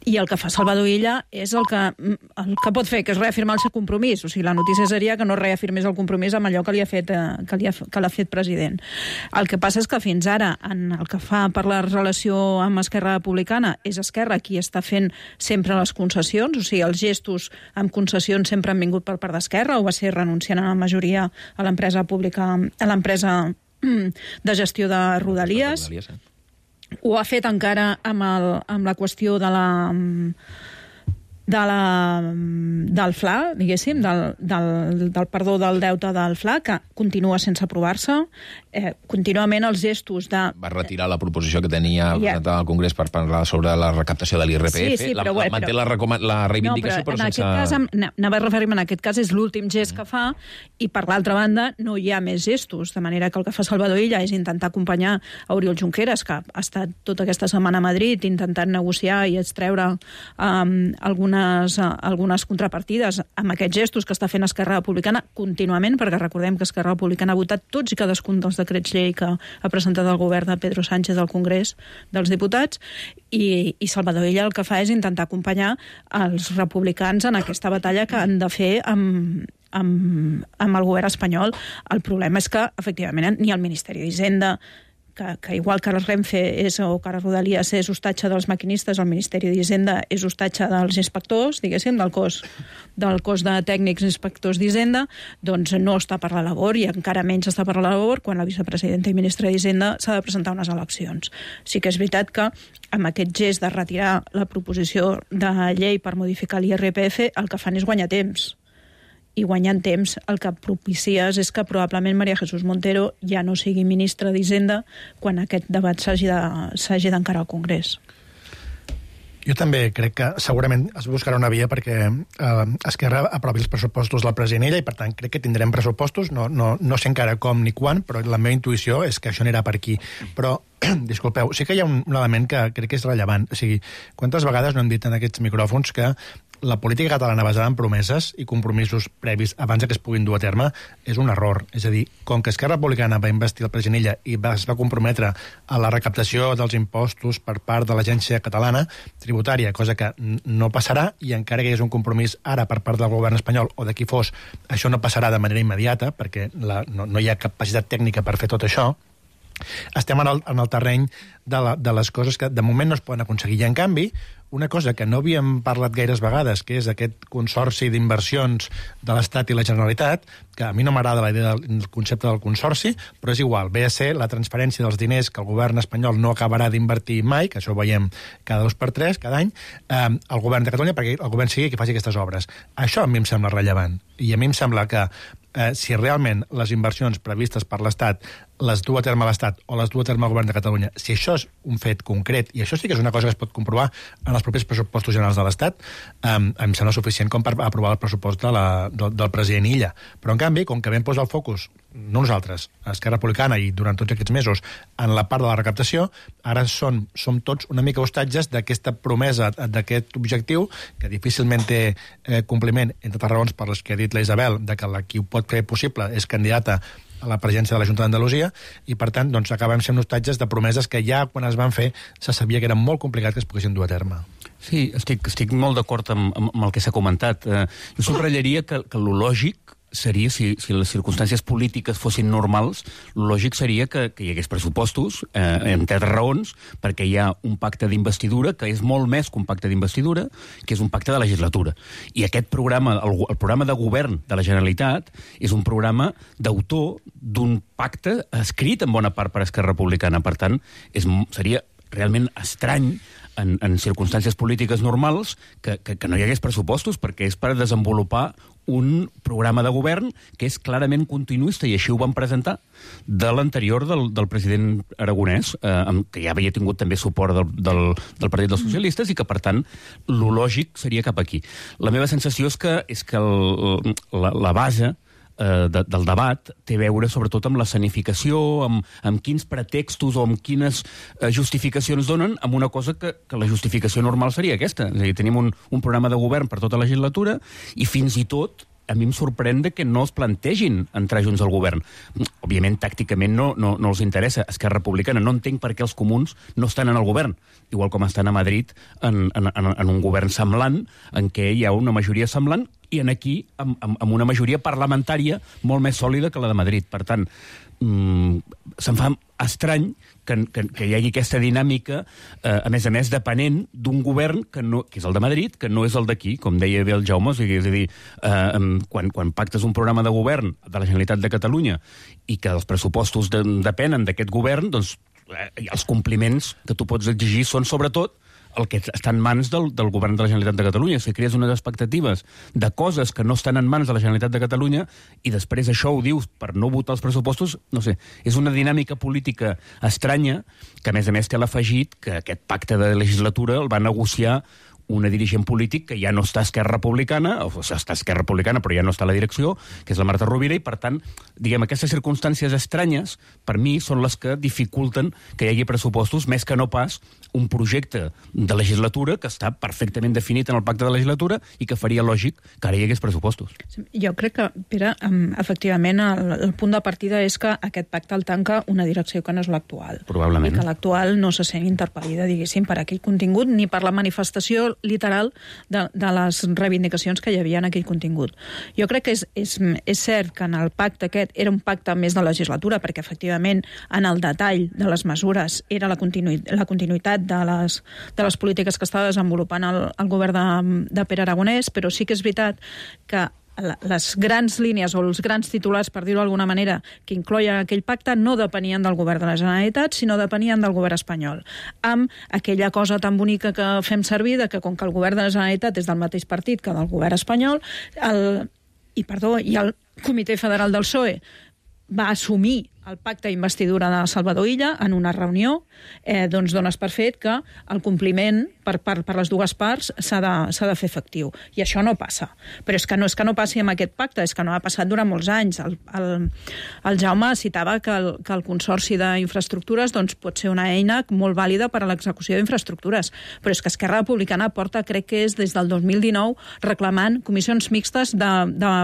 I el que fa Salvador Illa és el que, el que pot fer, que és reafirmar el seu compromís. O sigui, la notícia seria que no reafirmés el compromís amb allò que li ha fet, que li ha, que l'ha fet president. El que passa és que fins ara, en el que fa per la relació amb Esquerra Republicana, és Esquerra qui està fent sempre les concessions, o sigui, els gestos amb concessions sempre han vingut per part d'Esquerra, o va ser renunciant a la majoria a l'empresa pública, a l'empresa de gestió de Rodalies. Ho ha fet encara amb, el, amb la qüestió de la, de la, del F L A, diguéssim, del, del, del perdó del deute del F L A, que continua sense aprovar-se. Eh, contínuament els gestos de... Va retirar la proposició que tenia yeah. al Congrés per parlar sobre la recaptació de l'I R P F. Sí, sí, però, la, bueno, manté però... la, recoma... la reivindicació, no, però, però en sense... Aquest cas, anava a referir-me, en aquest cas és l'últim gest que fa, i per l'altra banda no hi ha més gestos, de manera que el que fa Salvador Illa és intentar acompanyar a Oriol Junqueras, que ha estat tota aquesta setmana a Madrid intentant negociar i extreure um, algunes, uh, algunes contrapartides amb aquests gestos que està fent Esquerra Republicana contínuament, perquè recordem que Esquerra Republicana ha votat tots i cadascun dels decrets llei que ha presentat el govern de Pedro Sánchez al Congrés dels Diputats, i, i Salvador Illa el que fa és intentar acompanyar els republicans en aquesta batalla que han de fer amb, amb, amb el govern espanyol. El problema és que, efectivament, ni el Ministeri d'Hisenda, que, que igual que el Renfe és, o que el Rodalies és hostatge dels maquinistes, el Ministeri d'Hisenda és hostatge dels inspectors, diguéssim, del cos, del cos de tècnics inspectors d'Hisenda, doncs no està per la labor, i encara menys està per la labor quan la vicepresidenta i ministra d'Hisenda s'ha de presentar unes eleccions. Sí que és veritat que amb aquest gest de retirar la proposició de llei per modificar l'I R P F, el que fan és guanyar temps. I guanyant temps el que propicies és que probablement María Jesús Montero ja no sigui ministra d'Hisenda quan aquest debat s'hagi d'encarar al Congrés. Jo també crec que segurament es buscarà una via perquè eh, Esquerra aprovi els pressupostos del president Illa, i per tant crec que tindrem pressupostos, no, no, no sé encara com ni quan, però la meva intuïció és que això anirà per aquí. Però, disculpeu, sí que hi ha un, un element que crec que és rellevant. O sigui, quantes vegades no hem dit en aquests micròfons que la política catalana basada en promeses i compromisos previs abans que es puguin dur a terme és un error. És a dir, com que Esquerra Republicana va investir el president Illa i va, es va comprometre a la recaptació dels impostos per part de l'Agència Catalana Tributària, cosa que no passarà, i encara que hi és un compromís ara per part del govern espanyol o de qui fos, això no passarà de manera immediata perquè la, no, no hi ha capacitat tècnica per fer tot això. Estem en el, en el terreny de, la, de les coses que de moment no es poden aconseguir. I en canvi, una cosa que no havíem parlat gaires vegades, que és aquest consorci d'inversions de l'Estat i la Generalitat, que a mi no m'agrada la idea del concepte del consorci, però és igual, ve a ser la transferència dels diners que el govern espanyol no acabarà d'invertir mai, que això ho veiem cada dos per tres, cada any, eh, al govern de Catalunya, perquè el govern sigui qui faci aquestes obres. Això a mi em sembla rellevant, i a mi em sembla que eh, si realment les inversions previstes per l'Estat les du a terme l'Estat o les du a terme el govern de Catalunya, si això és un fet concret, i això sí que és una cosa que es pot comprovar en els propers pressupostos generals de l'Estat, eh, em sembla suficient com per aprovar el pressupost de la, del, del president Illa. Però, en canvi, com que vam posar el focus, no nosaltres, Esquerra Republicana, i durant tots aquests mesos, en la part de la recaptació, ara són, som tots una mica hostatges d'aquesta promesa, d'aquest objectiu, que difícilment té eh, compliment, entre altres raons per les que ha dit la Isabel, de que la qui ho pot fer possible és candidata a la presidència de la Junta d'Andalusia, i per tant doncs, acabem sent hostatges de promeses que ja quan es van fer se sabia que era molt complicat que es poguessin dur a terme. Sí, estic, estic molt d'acord amb, amb el que s'ha comentat. Eh, jo subratllaria que, que lo lògic seria, si, si les circumstàncies polítiques fossin normals, el lògic seria que, que hi hagués pressupostos, eh, entre altres raons, perquè hi ha un pacte d'investidura que és molt més que un pacte d'investidura, que és un pacte de legislatura. I aquest programa, el, el programa de govern de la Generalitat, és un programa d'autor d'un pacte escrit en bona part per Esquerra Republicana. Per tant, és, seria realment estrany en, en circumstàncies polítiques normals que, que, que no hi hagués pressupostos, perquè és per desenvolupar un programa de govern que és clarament continuista, i així ho van presentar, de l'anterior del, del president Aragonès, eh, que ja havia tingut també suport del, del, del Partit dels Socialistes, i que, per tant, lo lògic seria cap aquí. La meva sensació és que, és que el, la, la base eh, de, del debat té a veure sobretot amb l'escenificació, amb, amb quins pretextos o amb quines eh, justificacions donen, amb una cosa que, que la justificació normal seria aquesta. És a dir, tenim un, un programa de govern per tota la legislatura i fins i tot a mi em sorprèn que no es plantegin entrar junts al govern. Òbviament, tàcticament no, no, no els interessa. Esquerra Republicana, no entenc per què els comuns no estan en el govern, igual com estan a Madrid en, en, en un govern semblant, en què hi ha una majoria semblant, i en aquí amb, amb, amb una majoria parlamentària molt més sòlida que la de Madrid. Per tant, mmm, se'm fa estrany que, que, que hi hagi aquesta dinàmica, eh, a més a més, depenent d'un govern que, no, que és el de Madrid, que no és el d'aquí, com deia bé el Jaume. És a dir, eh, quan, quan pactes un programa de govern de la Generalitat de Catalunya i que els pressupostos de, depenen d'aquest govern, doncs eh, els compliments que tu pots exigir són, sobretot, el que està en mans del, del govern de la Generalitat de Catalunya. Si crees unes expectatives de coses que no estan en mans de la Generalitat de Catalunya i després això ho dius per no votar els pressupostos, no sé, és una dinàmica política estranya que, a més a més, té l'afegit que aquest pacte de legislatura el va negociar una dirigent polític que ja no està a Esquerra Republicana, o sigui, està a Esquerra Republicana però ja no està a la direcció, que és la Marta Rovira, i per tant, diguem, aquestes circumstàncies estranyes, per mi, són les que dificulten que hi hagi pressupostos, més que no pas un projecte de legislatura que està perfectament definit en el pacte de legislatura i que faria lògic que ara hi hagués pressupostos. Jo crec que, Pere, efectivament, el, el punt de partida és que aquest pacte el tanca una direcció que no és l'actual. Probablement. I que l'actual no se sent interpel·lida, diguéssim, per aquell contingut ni per la manifestació literal de, de les reivindicacions que hi havia en aquell contingut. Jo crec que és, és, és cert que en el pacte aquest era un pacte més de legislatura, perquè efectivament en el detall de les mesures era la, continu, la continuïtat de les, de les polítiques que estava desenvolupant el, el govern de, de Pere Aragonès, però sí que és veritat que les grans línies o els grans titulars, per dir-ho d'alguna manera, que incloien aquell pacte no depenien del govern de la Generalitat, sinó depenien del govern espanyol. Amb aquella cosa tan bonica que fem servir, de que com que el govern de la Generalitat és del mateix partit que del govern espanyol, el, i, perdó, i el Comitè Federal del P S O E va assumir el pacte d'investidura de Salvador Illa en una reunió, eh, doncs dones per fet que el compliment per, per, per les dues parts s'ha de, s'ha de fer efectiu. I això no passa. Però és que no és que no passi amb aquest pacte, és que no ha passat durant molts anys. El, el, el Jaume citava que el, que el Consorci d'infraestructures doncs, pot ser una eina molt vàlida per a l'execució d'infraestructures. Però és que Esquerra Republicana porta, crec que és des del dos mil dinou, reclamant comissions mixtes de, de,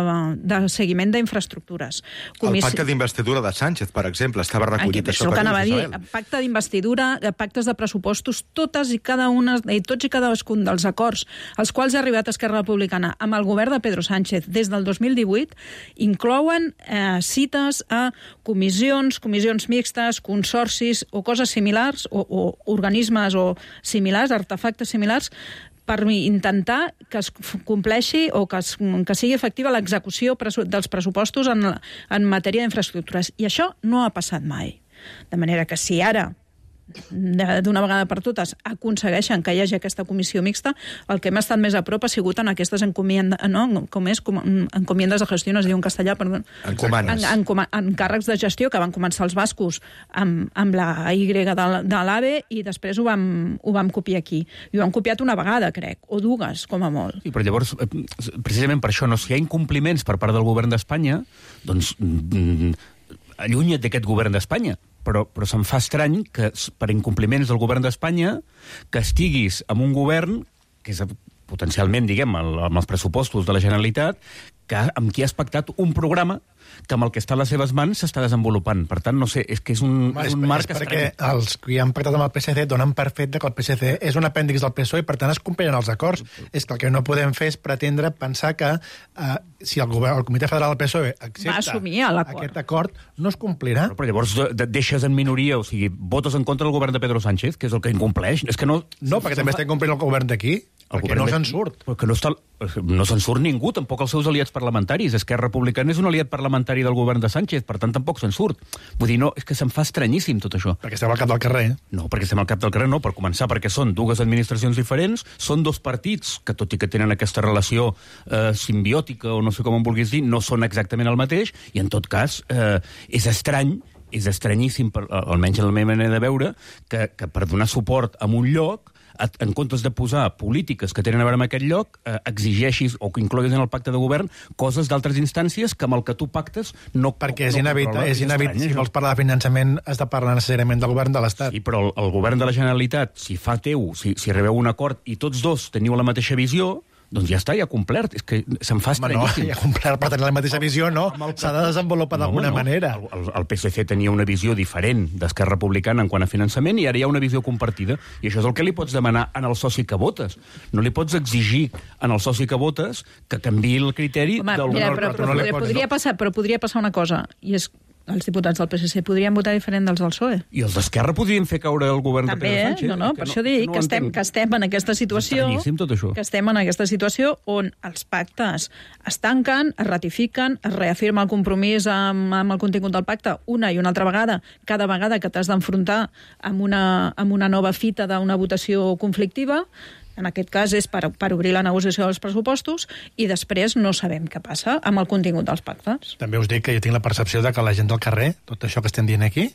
de seguiment d'infraestructures. Comissi... El pacte d'investidura de Sánchez, per exemple, estava recollit això per dir. Pacte d'investidura, pactes de pressupostos, totes i cada una, i tots i cadascun dels acords als quals ha arribat Esquerra Republicana amb el govern de Pedro Sánchez des del dos mil divuit inclouen eh, cites a comissions, comissions mixtes, consorcis o coses similars, o, o organismes o similars, artefactes similars, per intentar que es compleixi o que, es, que sigui efectiva l'execució dels pressupostos en, en matèria d'infraestructures. I això no ha passat mai. De manera que si ara, d'una vegada per totes, aconsegueixen que hi hagi aquesta comissió mixta, el que hem estat més a prop ha sigut en aquestes encomiendes, no? Com és, com, encomiendes de gestió, no es diu en castellà, perdó. Encomanes. En, en, encàrrecs de gestió que van començar els bascos amb, amb la Y de, de l'AVE i després ho vam, ho vam copiar aquí. I ho han copiat una vegada, crec, o dues, com a molt. Sí, però llavors, precisament per això, no, si hi ha incompliments per part del govern d'Espanya, doncs mm, allunya't d'aquest govern d'Espanya. Però, però se'm fa estrany que, per incompliments del govern d'Espanya, que estiguis amb un govern, que és potencialment, diguem, el, amb els pressupostos de la Generalitat, que, amb qui has pactat un programa que amb el que està a les seves mans s'està desenvolupant. Per tant, no sé, és que és un, Ma, és és, un marc és estrany. perquè els que han pactat amb el P S C donen per fet que el P S C és un apèndix del P S O E i, per tant, es compliran els acords. És que el que no podem fer és pretendre pensar que uh, si el, govern, el Comitè Federal del P S O E accepta aquest acord, no es complirà. Però, però llavors de, de, deixes en minoria, o sigui, votes en contra del govern de Pedro Sánchez, que és el que incompleix. És que no... No, perquè també està incomplint el govern d'aquí. Perquè no se'n surt. Perquè no, està, no se'n surt ningú, tampoc els seus aliats parlamentaris. Esquerra Republicana és un aliat parlamentari del govern de Sánchez, per tant tampoc se'n surt. Vull dir, no, és que se'm fa estranyíssim tot això. Perquè estem al cap del carrer. No, perquè estem al cap del carrer, no, per començar, perquè són dues administracions diferents, són dos partits que, tot i que tenen aquesta relació eh, simbiòtica, o no sé com en vulguis dir, no són exactament el mateix, i en tot cas eh, és estrany, és estranyíssim, per, almenys en la meva manera de veure, que, que per donar suport a un lloc, en comptes de posar polítiques que tenen a veure amb aquest lloc, eh, exigeixis o que incloguis en el pacte de govern coses d'altres instàncies que amb el que tu pactes no... Perquè és inevitable, és inevitable. Si vols parlar de finançament, has de parlar necessàriament del govern de l'Estat. Sí, però el, el govern de la Generalitat, si fa teu, si, si rebeu un acord i tots dos teniu la mateixa visió, doncs ja està, ja ha complert. És que se'n fa estranyíssim. No, ja ha complert per tenir la mateixa visió, no. S'ha de desenvolupar no, d'alguna no. manera. El, el P S C tenia una visió diferent d'Esquerra Republicana en quant a finançament i ara hi ha una visió compartida. I això és el que li pots demanar en el soci que votes. No li pots exigir en el soci que votes que canviï el criteri... Home, mira, però, però, però, podria, podria passar, però podria passar una cosa, i és els diputats del P S C podrien votar diferent dels del P S O E. I els d'Esquerra podrien fer caure el govern També, de Pedro Sánchez. No, no, per no, això dic no que, estem, que estem en aquesta situació, tot això. que estem en aquesta situació on els pactes es tanquen, es ratifiquen, es reafirma el compromís amb, amb el contingut del pacte una i una altra vegada, cada vegada que t'has d'enfrontar amb una, amb una nova fita d'una votació conflictiva. En aquest cas és per, per obrir la negociació dels pressupostos i després no sabem què passa amb el contingut dels pactes. També us dic que jo tinc la percepció de que la gent del carrer, tot això que estem dient aquí,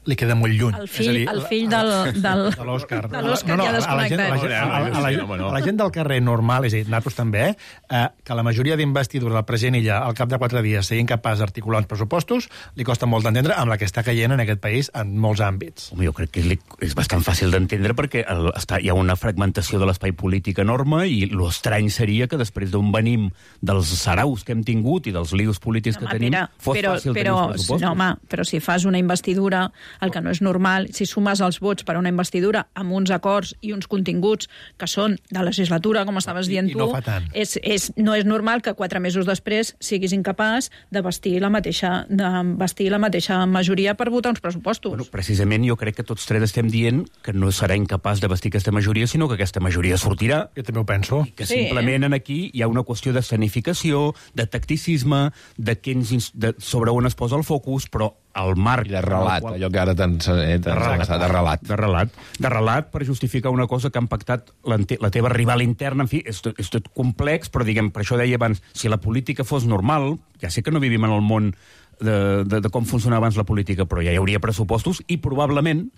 li queda molt lluny. El fill, dir, el fill del, del, de l'Òscar. De l'Òscar no, no, ja desconnectat. A la, gent, a, la, a, la, a, la, a la gent del carrer normal, és a dir, nosaltres també, eh, que la majoria d'investidura del president Illa al cap de quatre dies sigui incapaç d'articular uns pressupostos, li costa molt d'entendre amb la que està caient en aquest país en molts àmbits. Home, jo crec que és, és bastant fàcil d'entendre perquè el, està, hi ha una fragmentació de l'espai polític enorme i l'estrany seria que després d'on venim dels saraus que hem tingut i dels lius polítics no, que tenim, mira, fos però, fàcil però, tenir els pressupostos. No, home, però si fas una investidura, el que no és normal, si sumes els vots per a una investidura amb uns acords i uns continguts que són de legislatura, com estaves dient I, i tu, no fa tant. És, és, no és normal que quatre mesos després siguis incapaç de vestir la mateixa, de vestir la mateixa majoria per votar uns pressupostos. Bueno, precisament jo crec que tots tres estem dient que no serà incapaç de vestir aquesta majoria, sinó que aquesta majoria sortirà. Jo també ho penso. I que simplement en aquí hi ha una qüestió d'escenificació, de tacticisme, de, quins, de sobre on es posa el focus, però el marc... I de relat, qual... allò que ara t'han eh, de relat, de relat. De relat. De relat per justificar una cosa que han pactat la, la teva rival interna. En fi, és tot, és tot complex, però diguem, per això deia abans, si la política fos normal, ja sé que no vivim en el món de, de, de com funcionava abans la política, però ja hi hauria pressupostos i probablement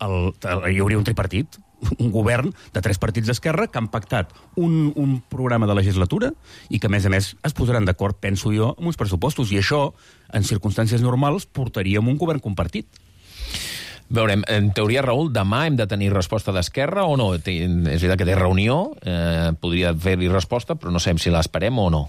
el, el, hi hauria un tripartit, un govern de tres partits d'esquerra que han pactat un, un programa de legislatura i que, a més a més, es posaran d'acord, penso jo, amb uns pressupostos. I això, en circumstàncies normals, portaríem un govern compartit. Veurem, en teoria, Raül, demà hem de tenir resposta d'Esquerra o no? És veritat que té reunió, eh, podria fer-hi resposta, però no sabem si l'esperem o no.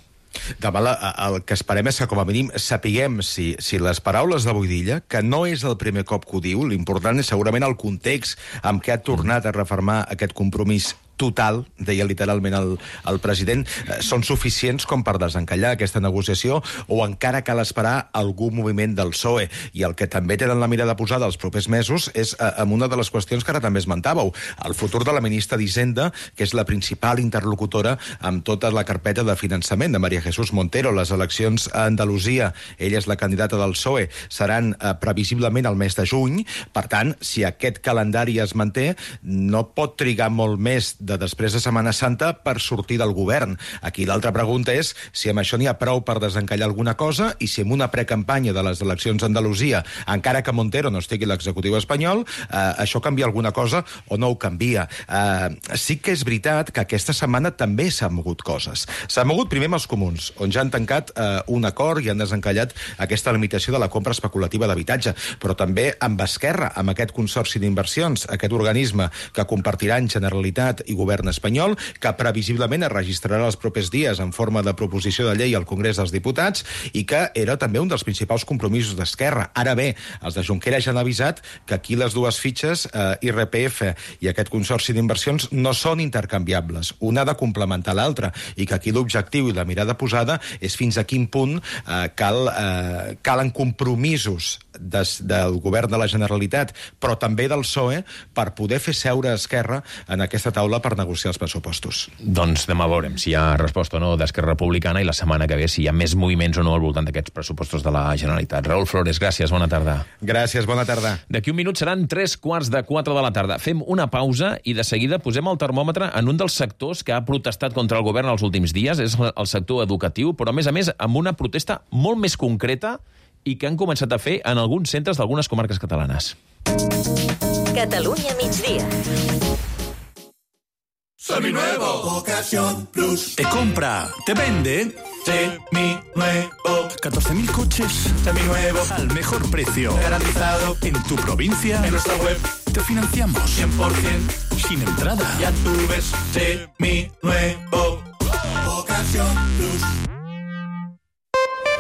Demà la, el que esperem és que, com a mínim, sapiguem si, si les paraules de Boidilla, que no és el primer cop que ho diu, l'important és segurament el context amb què ha tornat a refermar aquest compromís total, deia literalment el, el president, eh, són suficients com per desencallar aquesta negociació o encara cal esperar algun moviment del P S O E. I el que també tenen la mirada posada els propers mesos és eh, amb una de les qüestions que ara també esmentàveu, el futur de la ministra d'Hisenda, que és la principal interlocutora amb tota la carpeta de finançament de María Jesús Montero. Les eleccions a Andalusia, ella és la candidata del P S O E, seran eh, previsiblement al mes de juny. Per tant, si aquest calendari es manté, no pot trigar molt més de després de Setmana Santa per sortir del govern. Aquí l'altra pregunta és si amb això n'hi ha prou per desencallar alguna cosa i si amb una precampanya de les eleccions a Andalusia, encara que Montero no estigui a l'executiu espanyol, eh, això canvia alguna cosa o no ho canvia. Eh, sí que és veritat que aquesta setmana també s'han mogut coses. S'han mogut primer amb els comuns, on ja han tancat eh, un acord i han desencallat aquesta limitació de la compra especulativa d'habitatge, però també amb Esquerra, amb aquest consorci d'inversions, aquest organisme que compartiran Generalitat i govern espanyol, que previsiblement es registrarà els propers dies en forma de proposició de llei al Congrés dels Diputats i que era també un dels principals compromisos d'Esquerra. Ara bé, els de Junqueras ja han avisat que aquí les dues fitxes, eh, I R P F i aquest consorci d'inversions, no són intercanviables. Una ha de complementar l'altra i que aquí l'objectiu i la mirada posada és fins a quin punt eh, cal, eh, calen compromisos des, del govern de la Generalitat, però també del P S O E, per poder fer seure Esquerra en aquesta taula per negociar els pressupostos. Doncs demà veurem si hi ha resposta o no d'Esquerra Republicana i la setmana que ve si hi ha més moviments o no al voltant d'aquests pressupostos de la Generalitat. Raül Flores, gràcies, bona tarda. Gràcies, bona tarda. D'aquí un minut seran tres quarts de quatre de la tarda. Fem una pausa i de seguida posem el termòmetre en un dels sectors que ha protestat contra el govern els últims dies, és el sector educatiu, però a més a més amb una protesta molt més concreta i que han començat a fer en alguns centres d'algunes comarques catalanes. Catalunya migdia. Seminuevo. Ocasión Plus. Te compra, te vende. Seminuevo. catorce mil coches. Seminuevo. Al mejor precio. Garantizado. En tu provincia. En nuestra web. Te financiamos. cien por ciento. Sin entrada. Ya tú ves. Seminuevo. Ocasión Plus.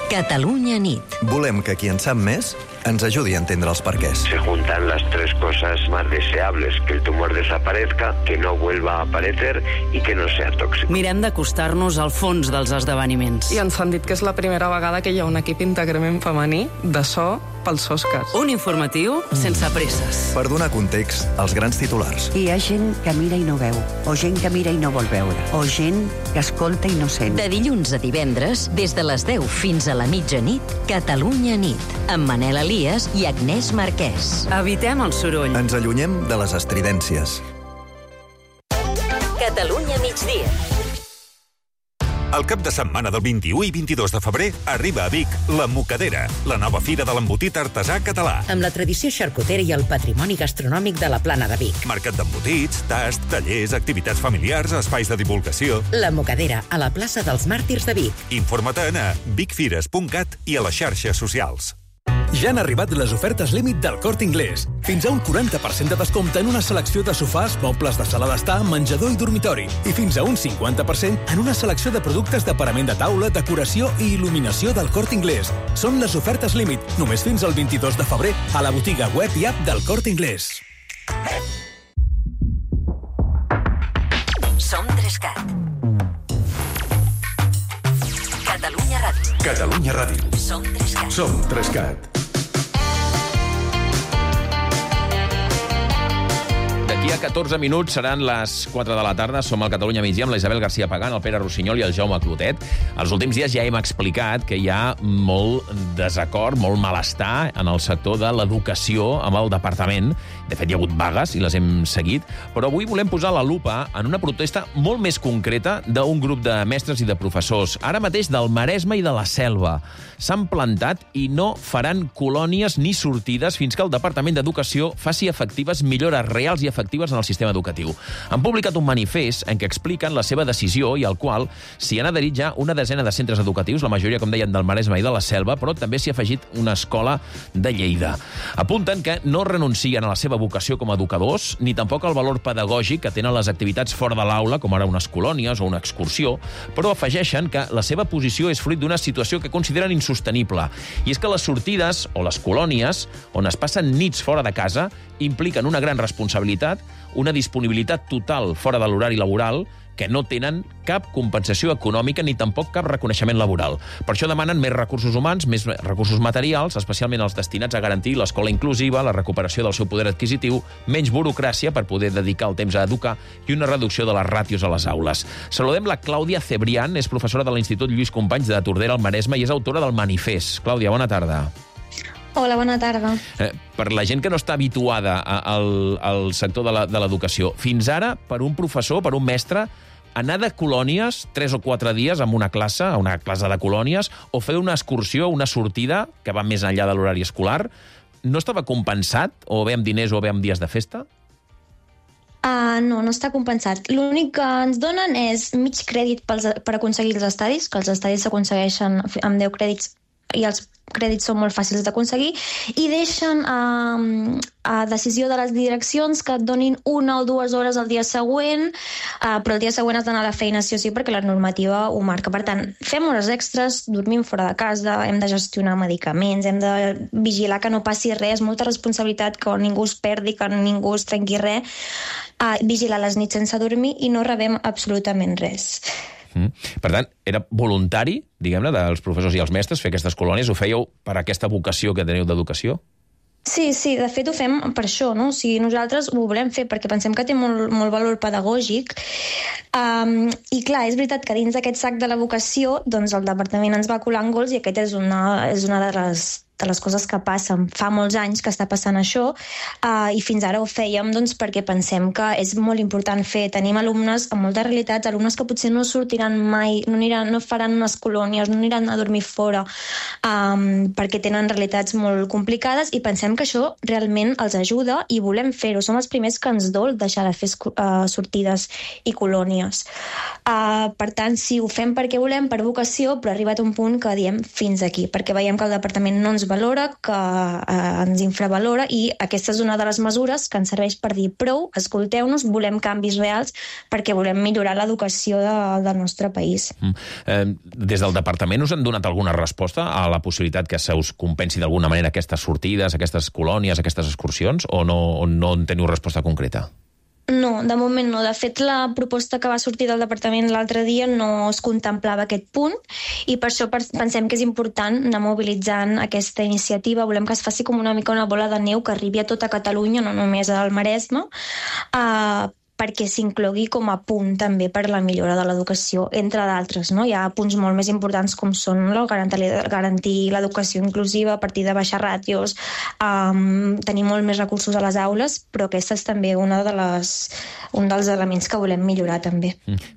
Catalunya nit. Volem que qui en sap més ens ajudi a entendre els perquès. Se juntan las tres cosas más deseables, que el tumor desaparezca, que no vuelva a aparecer y que no sea tóxico. Mirem d'acostar-nos al fons dels esdeveniments. I ens han dit que és la primera vegada que hi ha un equip íntegrament femení de so pels Oscars. Un informatiu sense presses. Per donar context als grans titulars. Hi ha gent que mira i no veu, o gent que mira i no vol veure, o gent que escolta i no sent. De dilluns a divendres, des de les deu fins a la mitjanit, Catalunya nit, amb Manel Elias i Agnès Marquès. Evitem el soroll. Ens allunyem de les estridències. Catalunya migdia. El cap de setmana del vint-i-u i vint-i-dos de febrer arriba a Vic la Mocadera, la nova fira de l'embotit artesà català. Amb la tradició xarcutera i el patrimoni gastronòmic de la Plana de Vic. Mercat d'embotits, tast, tallers, activitats familiars, espais de divulgació. La Mocadera, a la plaça dels Màrtirs de Vic. Informa't-en a vicfires punt cat i a les xarxes socials. Ja han arribat les ofertes límit del Corte Inglés. Fins a un quaranta per cent de descompte en una selecció de sofàs, mobles de sala d'estar, menjador i dormitori. I fins a un cinquanta per cent en una selecció de productes de parament de taula, decoració i il·luminació del Corte Inglés. Són les ofertes límit, només fins al vint-i-dos de febrer, a la botiga web i app del Corte Inglés. Som Trescat. Catalunya Ràdio. Catalunya Ràdio. Som Trescat. Som Trescat. D'aquí a catorze minuts seran les quatre de la tarda. Som al Catalunya migdia amb la Isabel García Pagán, el Pere Rossinyol i el Jaume Clotet. Els últims dies ja hem explicat que hi ha molt desacord, molt malestar en el sector de l'educació amb el departament. De fet, hi ha hagut vagues i les hem seguit. Però avui volem posar la lupa en una protesta molt més concreta d'un grup de mestres i de professors, ara mateix del Maresme i de la Selva. S'han plantat i no faran colònies ni sortides fins que el Departament d'Educació faci efectives millores reals i efectives en el sistema educatiu. Han publicat un manifest en què expliquen la seva decisió i al qual s'hi han adherit ja una desena de centres educatius, la majoria, com deien, del Maresme i de la Selva, però també s'hi ha afegit una escola de Lleida. Apunten que no renuncien a la seva vocació com a educadors, ni tampoc al valor pedagògic que tenen les activitats fora de l'aula, com ara unes colònies o una excursió, però afegeixen que la seva posició és fruit d'una situació que consideren insostenible. I és que les sortides o les colònies, on es passen nits fora de casa, impliquen una gran responsabilitat, una disponibilitat total fora de l'horari laboral, que no tenen cap compensació econòmica ni tampoc cap reconeixement laboral. Per això demanen més recursos humans, més recursos materials, especialment els destinats a garantir l'escola inclusiva, la recuperació del seu poder adquisitiu, menys burocràcia per poder dedicar el temps a educar i una reducció de les ràtios a les aules. Saludem la Clàudia Cebrián, és professora de l'Institut Lluís Companys de Tordera al Maresme i és autora del manifest. Clàudia, bona tarda. Hola, bona tarda. Eh, per la gent que no està habituada a, al, al sector de l'educació, fins ara, per un professor, per un mestre, anar de colònies tres o quatre dies amb una classe, a una classe de colònies, o fer una excursió, una sortida, que va més enllà de l'horari escolar, no estava compensat, o bé amb diners o bé amb dies de festa? Uh, no, no està compensat. L'únic que ens donen és mig crèdit pels, per aconseguir els estadis, que els estadis s'aconsegueixen amb deu crèdits i els crèdits són molt fàcils d'aconseguir, i deixen uh, a decisió de les direccions que et donin una o dues hores el dia següent, uh, però el dia següent has d'anar a la feina sí o sí perquè la normativa ho marca. Per tant, fem hores extres, dormim fora de casa, hem de gestionar medicaments, hem de vigilar que no passi res, molta responsabilitat, que ningú es perdi, que ningú es trenqui res, uh, vigilar les nits sense dormir i no rebem absolutament res. Mm. Per tant, era voluntari, diguem-ne, dels professors i els mestres fer aquestes colònies? Ho fèieu per aquesta vocació que teniu d'educació? Sí, sí, de fet ho fem per això, no? O sigui, nosaltres ho volem fer perquè pensem que té molt, molt valor pedagògic. Um, I clar, és veritat que dins d'aquest sac de la vocació, doncs el departament ens va colant gols i aquest és una, és una de les de les coses que passen. Fa molts anys que està passant això uh, i fins ara ho fèiem doncs, perquè pensem que és molt important fer. Tenim alumnes amb moltes realitats, alumnes que potser no sortiran mai, no, aniran, no faran unes colònies, no aniran a dormir fora um, perquè tenen realitats molt complicades i pensem que això realment els ajuda i volem fer-ho. Som els primers que ens dol deixar de fer uh, sortides i colònies. Uh, per tant, sí, ho fem perquè volem, per vocació, però ha arribat un punt que diem fins aquí, perquè veiem que el departament no ens valora, que eh, ens infravalora i aquesta és una de les mesures que ens serveix per dir prou, escolteu-nos, volem canvis reals perquè volem millorar l'educació de, del nostre país. Mm. Eh, des del departament us han donat alguna resposta a la possibilitat que se us compensi d'alguna manera aquestes sortides, aquestes colònies, aquestes excursions, o no, o no en teniu resposta concreta? No, de moment no. De fet, la proposta que va sortir del departament l'altre dia no es contemplava aquest punt i per això pensem que és important anar mobilitzant aquesta iniciativa. Volem que es faci com una mica una bola de neu que arribi a tota Catalunya, no només al Maresme, uh, perquè s'inclogui com a punt també per la millora de l'educació, entre d'altres. No? Hi ha punts molt més importants com són no? garantir, garantir l'educació inclusiva a partir de baixar ràtios, um, tenir molt més recursos a les aules, però aquesta és també una de les, un dels elements que volem millorar també.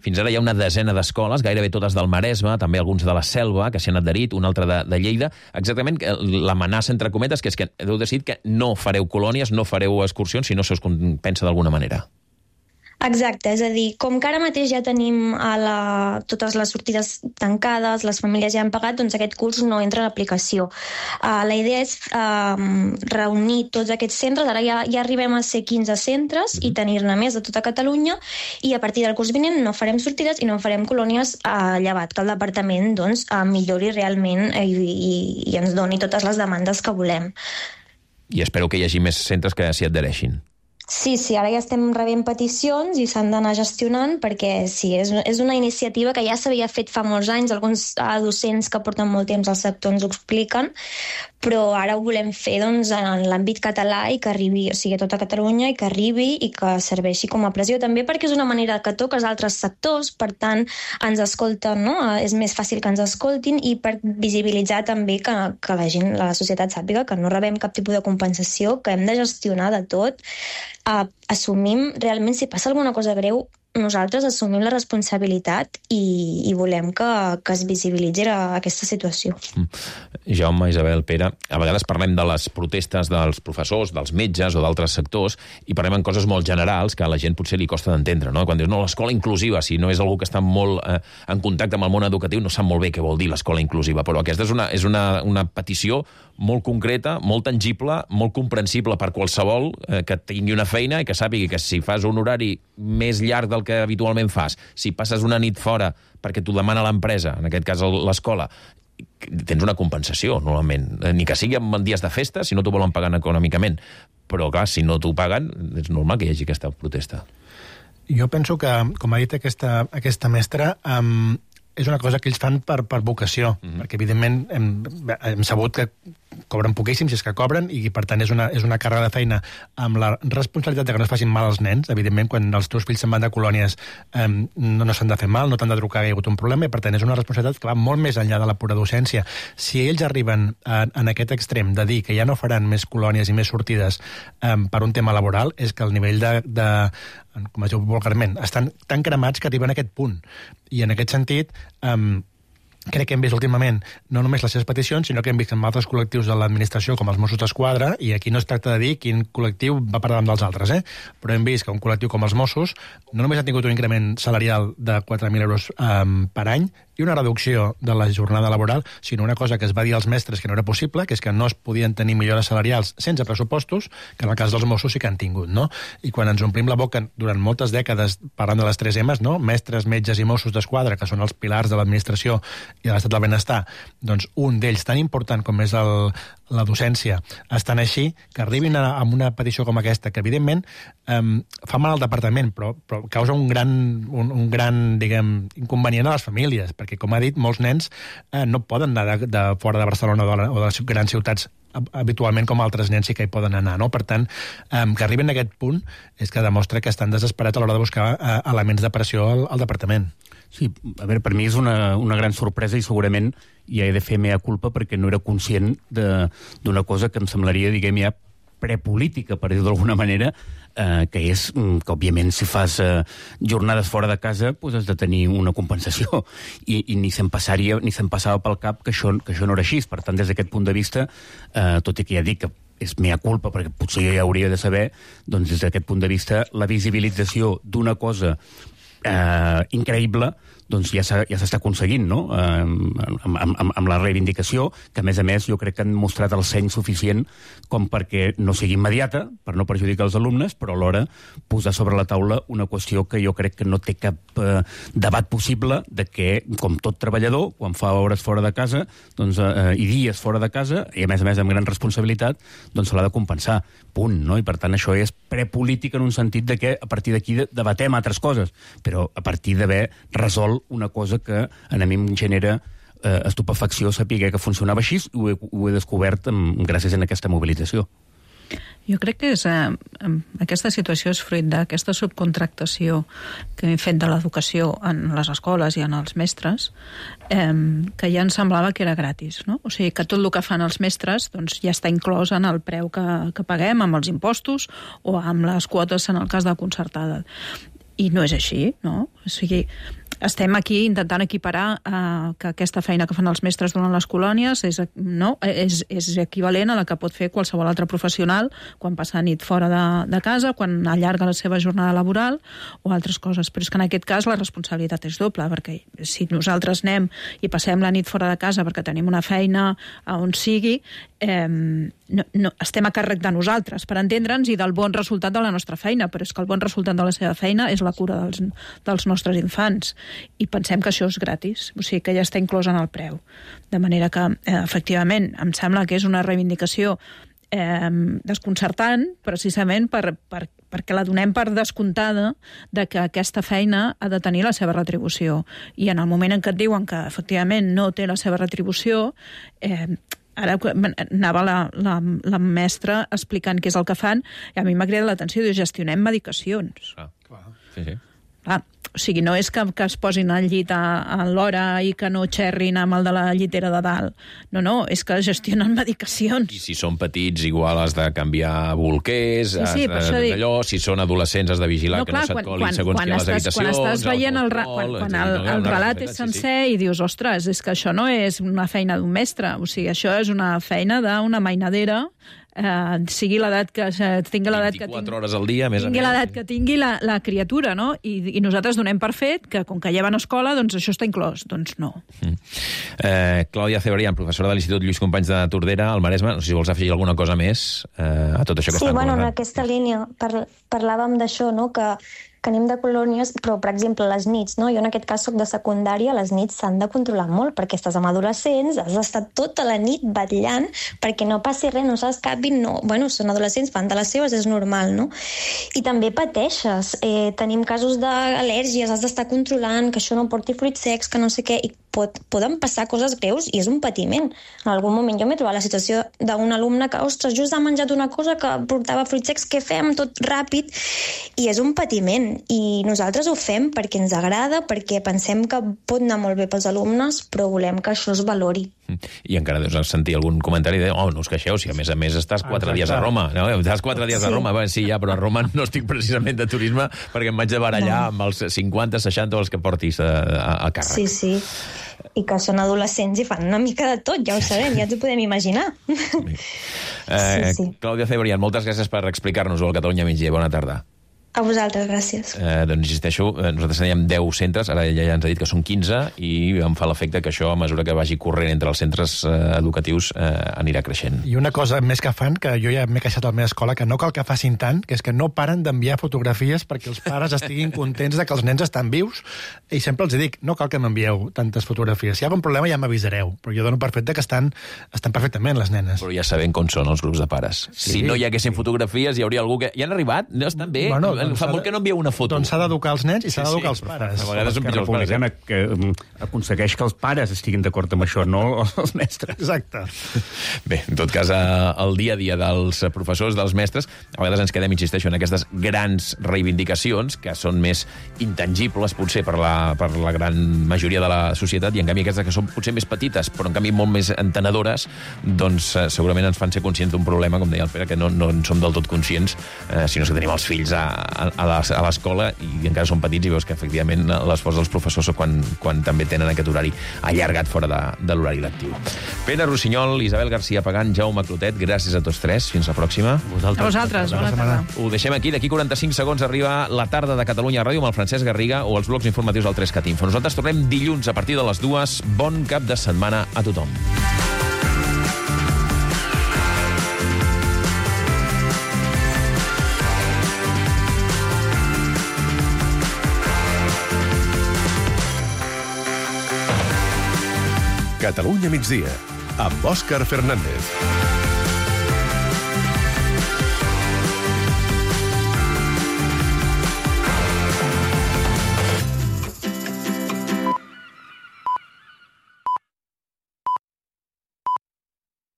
Fins ara hi ha una desena d'escoles, gairebé totes del Maresme, també alguns de la Selva, que s'hi han adherit, un altre de, de Lleida. Exactament l'amenaça, entre cometes, que és que heu decidit que no fareu colònies, no fareu excursions, si no se us compensa d'alguna manera. Exacte, és a dir, com que ara mateix ja tenim a la, totes les sortides tancades, les famílies ja han pagat, doncs aquest curs no entra en aplicació. Uh, la idea és uh, reunir tots aquests centres, ara ja, ja arribem a ser quinze centres mm-hmm. i tenir-ne més de tota Catalunya i a partir del curs vinent no farem sortides i no farem colònies uh, llevat que el departament doncs, uh, millori realment i, i, i ens doni totes les demandes que volem. I espero que hi hagi més centres que s'hi adhereixin. Sí, sí, ara ja estem rebent peticions i s'han d'anar gestionant perquè sí, és, és una iniciativa que ja s'havia fet fa molts anys, alguns docents que porten molt temps al sector ens ho expliquen, però ara ho volem fer doncs, en l'àmbit català i que arribi, o sigui, a tota Catalunya i que arribi i que serveixi com a pressió també perquè és una manera que toques altres sectors, per tant ens escolten, no? És més fàcil que ens escoltin i per visibilitzar també que, que la gent, la societat sàpiga que no rebem cap tipus de compensació, que hem de gestionar de tot. Uh, assumim, realment, si passa alguna cosa greu, nosaltres assumim la responsabilitat i, i volem que, que es visibilitzi aquesta situació. Jaume, Isabel, Pere, a vegades parlem de les protestes dels professors, dels metges o d'altres sectors i parlem en coses molt generals que a la gent potser li costa d'entendre, no? Quan dius, no, l'escola inclusiva, si no és algú que està molt eh, en contacte amb el món educatiu, no sap molt bé què vol dir l'escola inclusiva, però aquesta és una, és una, una petició molt concreta, molt tangible, molt comprensible per qualsevol eh, que tingui una feina i que sàpigui que si fas un horari més llarg del que habitualment fas, si passes una nit fora perquè t'ho demana l'empresa, en aquest cas l'escola, tens una compensació, normalment. Ni que sigui en dies de festa, si no t'ho volen pagar econòmicament. Però, clar, si no t'ho paguen, és normal que hi hagi aquesta protesta. Jo penso que, com ha dit aquesta, aquesta mestra, um, és una cosa que ells fan per, per vocació, mm-hmm. perquè, evidentment, hem, hem sabut que cobren poquíssim, si és que cobren, i per tant és una, és una càrrega de feina amb la responsabilitat de que no es facin mal als nens. Evidentment, quan els teus fills se'n van de colònies eh, no, no s'han de fer mal, no t'han de trucar que hi ha hagut un problema, i per tant és una responsabilitat que va molt més enllà de la pura docència. Si ells arriben a, en aquest extrem de dir que ja no faran més colònies i més sortides eh, per un tema laboral, és que el nivell de, de com es diu vulgarment, estan tan cremats que arriben a aquest punt. I en aquest sentit, eh, crec que hem vist últimament no només les seves peticions, sinó que hem vist en altres col·lectius de l'administració, com els Mossos d'Esquadra, i aquí no es tracta de dir quin col·lectiu va per davant dels altres, eh? Però hem vist que un col·lectiu com els Mossos no només ha tingut un increment salarial de quatre mil euros um, per any, i una reducció de la jornada laboral, sinó una cosa que es va dir als mestres que no era possible, que és que no es podien tenir millores salarials sense pressupostos, que en el cas dels Mossos sí que han tingut, no? I quan ens omplim la boca durant moltes dècades parlant de les tres emes, no? Mestres, metges i Mossos d'Esquadra, que són els pilars de l'administració i de l'estat del benestar, doncs un d'ells tan important com és el, la docència, estan així, que arribin a, a una petició com aquesta, que evidentment eh, fa mal al departament, però, però causa un gran, un, un gran, diguem, inconvenient a les famílies, perquè, com ha dit, molts nens eh, no poden anar de, de fora de Barcelona o de, o de les grans ciutats habitualment com altres nens sí que hi poden anar, no? Per tant, eh, que arriben a aquest punt és que demostra que estan desesperats a l'hora de buscar eh, elements de pressió al, al departament. Sí, a veure, per mi és una, una gran sorpresa i segurament ja he de fer mea culpa perquè no era conscient d'una cosa que em semblaria, diguem, ja prepolítica, per dir-ho d'alguna manera, eh, que és que, òbviament, si fas eh, jornades fora de casa, doncs has de tenir una compensació. I, i ni se'm passaria, ni se'm passava pel cap que això, que això no era així. Per tant, des d'aquest punt de vista, eh, tot i que ja dic que és mea culpa, perquè potser ja hauria de saber, doncs des d'aquest punt de vista, la visibilització d'una cosa eh, increïble, doncs ja s'està ja aconseguint, no? Eh, amb, amb, amb la reivindicació, que a més a més jo crec que han mostrat el seny suficient com perquè no sigui immediata, per no perjudicar els alumnes, però alhora posar sobre la taula una qüestió que jo crec que no té cap eh, debat possible de que, com tot treballador, quan fa hores fora de casa doncs, eh, i dies fora de casa, i a més a més amb gran responsabilitat, doncs se l'ha de compensar. Punt, no? I per tant això és prepolític en un sentit de que a partir d'aquí debatem altres coses, però a partir d'haver resolt una cosa que a mi em genera eh, estupefacció saber que funcionava així i ho he, ho he descobert amb, gràcies a aquesta mobilització. Jo crec que és, eh, aquesta situació és fruit d'aquesta subcontractació que hem fet de l'educació en les escoles i en els mestres, eh, que ja ens semblava que era gratis, no? O sigui, que tot el que fan els mestres doncs, ja està inclòs en el preu que, que paguem, amb els impostos o amb les quotes en el cas de concertada. I no és així, no? O sigui, estem aquí intentant equiparar eh, que aquesta feina que fan els mestres durant les colònies és, no, és, és equivalent a la que pot fer qualsevol altre professional quan passa nit fora de, de casa, quan allarga la seva jornada laboral o altres coses. Però és que en aquest cas la responsabilitat és doble, perquè si nosaltres anem i passem la nit fora de casa perquè tenim una feina a on sigui, eh, no, no, estem a càrrec de nosaltres, per entendre'ns, i del bon resultat de la nostra feina, però és que el bon resultat de la seva feina és la cura dels, dels nostres infants. I pensem que això és gratis, o sigui que ja està inclòs en el preu. De manera que, eh, efectivament, em sembla que és una reivindicació eh, desconcertant, precisament per, per, perquè la donem per descomptada de que aquesta feina ha de tenir la seva retribució. I en el moment en què et diuen que, efectivament, no té la seva retribució, eh, ara anava la, la, la mestra explicant què és el que fan, i a mi m'ha cridat l'atenció, diu, gestionem medicacions. Ah, clar. Sí, sí. Clar, o sigui, no és que, que es posin al llit a, a l'hora i que no xerrin amb el de la llitera de dalt. No, no, és que gestionen medicacions. I si són petits, igual has de canviar bolquers, sí, sí, has de, allò, si són adolescents has de vigilar no, que clar, no se't colin segons qui a les habitacions. Quan estàs veient el, quan, quan el, el relat és sencer i dius, ostres, és que això no és una feina d'un mestre, o sigui, això és una feina d'una mainadera, eh, sigui l'edat que tingui l'edat que tingui, vint-i-quatre hores al dia, més tingui l'edat que tingui la, la criatura, no? I, i nosaltres donem per fet que, com que ja van a escola, doncs això està inclòs. Doncs no. Mm. Eh, Clàudia Cebrián, professora de l'Institut Lluís Companys de Tordera, al Maresme, no sé si vols afegir alguna cosa més eh, a tot això que sí, estan bueno, comentant. en aquesta línia par parlàvem d'això, no?, que que anem de colònies, però, per exemple, les nits, no? Jo en aquest cas soc de secundària, les nits s'han de controlar molt, perquè estàs amb adolescents, has d'estar tota la nit batllant perquè no passi res, no s'escapin, no. Bueno, són adolescents, fan de les seves, és normal, no? I també pateixes. Eh, tenim casos d'al·lèrgies, has d'estar controlant que això no porti fruits secs, que no sé què, i pot, poden passar coses greus i és un patiment. En algun moment jo m'he trobat la situació d'un alumne que, ostres, just ha menjat una cosa que portava fruits secs, què fem? Tot ràpid. I és un patiment. I nosaltres ho fem perquè ens agrada, perquè pensem que pot anar molt bé pels alumnes, però volem que això es valori. I encara deus sentir algun comentari de oh, no us queixeu, si a més a més estàs quatre Exacte. dies a Roma. No? Estàs quatre dies sí. a Roma. Bé, sí, ja, però a Roma no estic precisament de turisme perquè em vaig de barallar no. amb els cinquanta, seixanta o els que portis a, a, a càrrec. Sí, sí. I que són adolescents i fan una mica de tot, ja ho sabem, ja ens ho podem imaginar. Sí. Eh, sí, sí. Clàudia Cebrián, moltes gràcies per explicar-nos-ho al Catalunya Migdia. Bona tarda. A vosaltres, gràcies. Eh, doncs insisteixo, nosaltres teníem deu centres, ara ja ens ha dit que són quinze, i em fa l'efecte que això, a mesura que vagi corrent entre els centres eh, educatius, eh, anirà creixent. I una cosa més que fan, que jo ja m'he queixat a la meva escola, que no cal que facin tant, que és que no paren d'enviar fotografies perquè els pares estiguin contents de que els nens estan vius, i sempre els dic, no cal que m'envieu tantes fotografies. Si hi ha algun problema ja m'avisareu, però jo dono per fet que estan, estan perfectament les nenes. Però ja sabem com són els grups de pares. Sí. Si no hi haguessin fotografies, hi hauria algú que... Ja han arribat? No estan bé? Bueno, Doncs fa molt que no envieu una foto. Doncs s'ha d'educar els nens i s'ha Sí, sí. d'educar els pares. A vegades són Esquerra pitjors pares, Republicana que um, aconsegueix que els pares estiguin d'acord amb això, no els mestres. Exacte. Bé, en tot cas, eh, el dia a dia dels professors, dels mestres, a vegades ens quedem, insisteixo, en aquestes grans reivindicacions, que són més intangibles, potser, per la, per la gran majoria de la societat, i en canvi aquestes que són potser més petites, però en canvi molt més entenedores, doncs eh, segurament ens fan ser conscients d'un problema, com deia el Pere, que no, no en som del tot conscients, eh, sinó que tenim els fills a, a, a l'escola i encara són petits i veus que, efectivament, l'esforç dels professors quan, quan també tenen aquest horari allargat fora de, de l'horari lectiu. Pere Rossinyol, Isabel García Pagant, Jaume Clotet, gràcies a tots tres. Fins la pròxima. A vosaltres. Bona tarda. Ho deixem aquí. D'aquí quaranta-cinc segons arriba la tarda de Catalunya Ràdio amb el Francesc Garriga o els blocs informatius del tres cat Info. Nosaltres tornem dilluns a partir de les dues. Bon cap de setmana a tothom. Catalunya migdia, amb Òscar Fernández.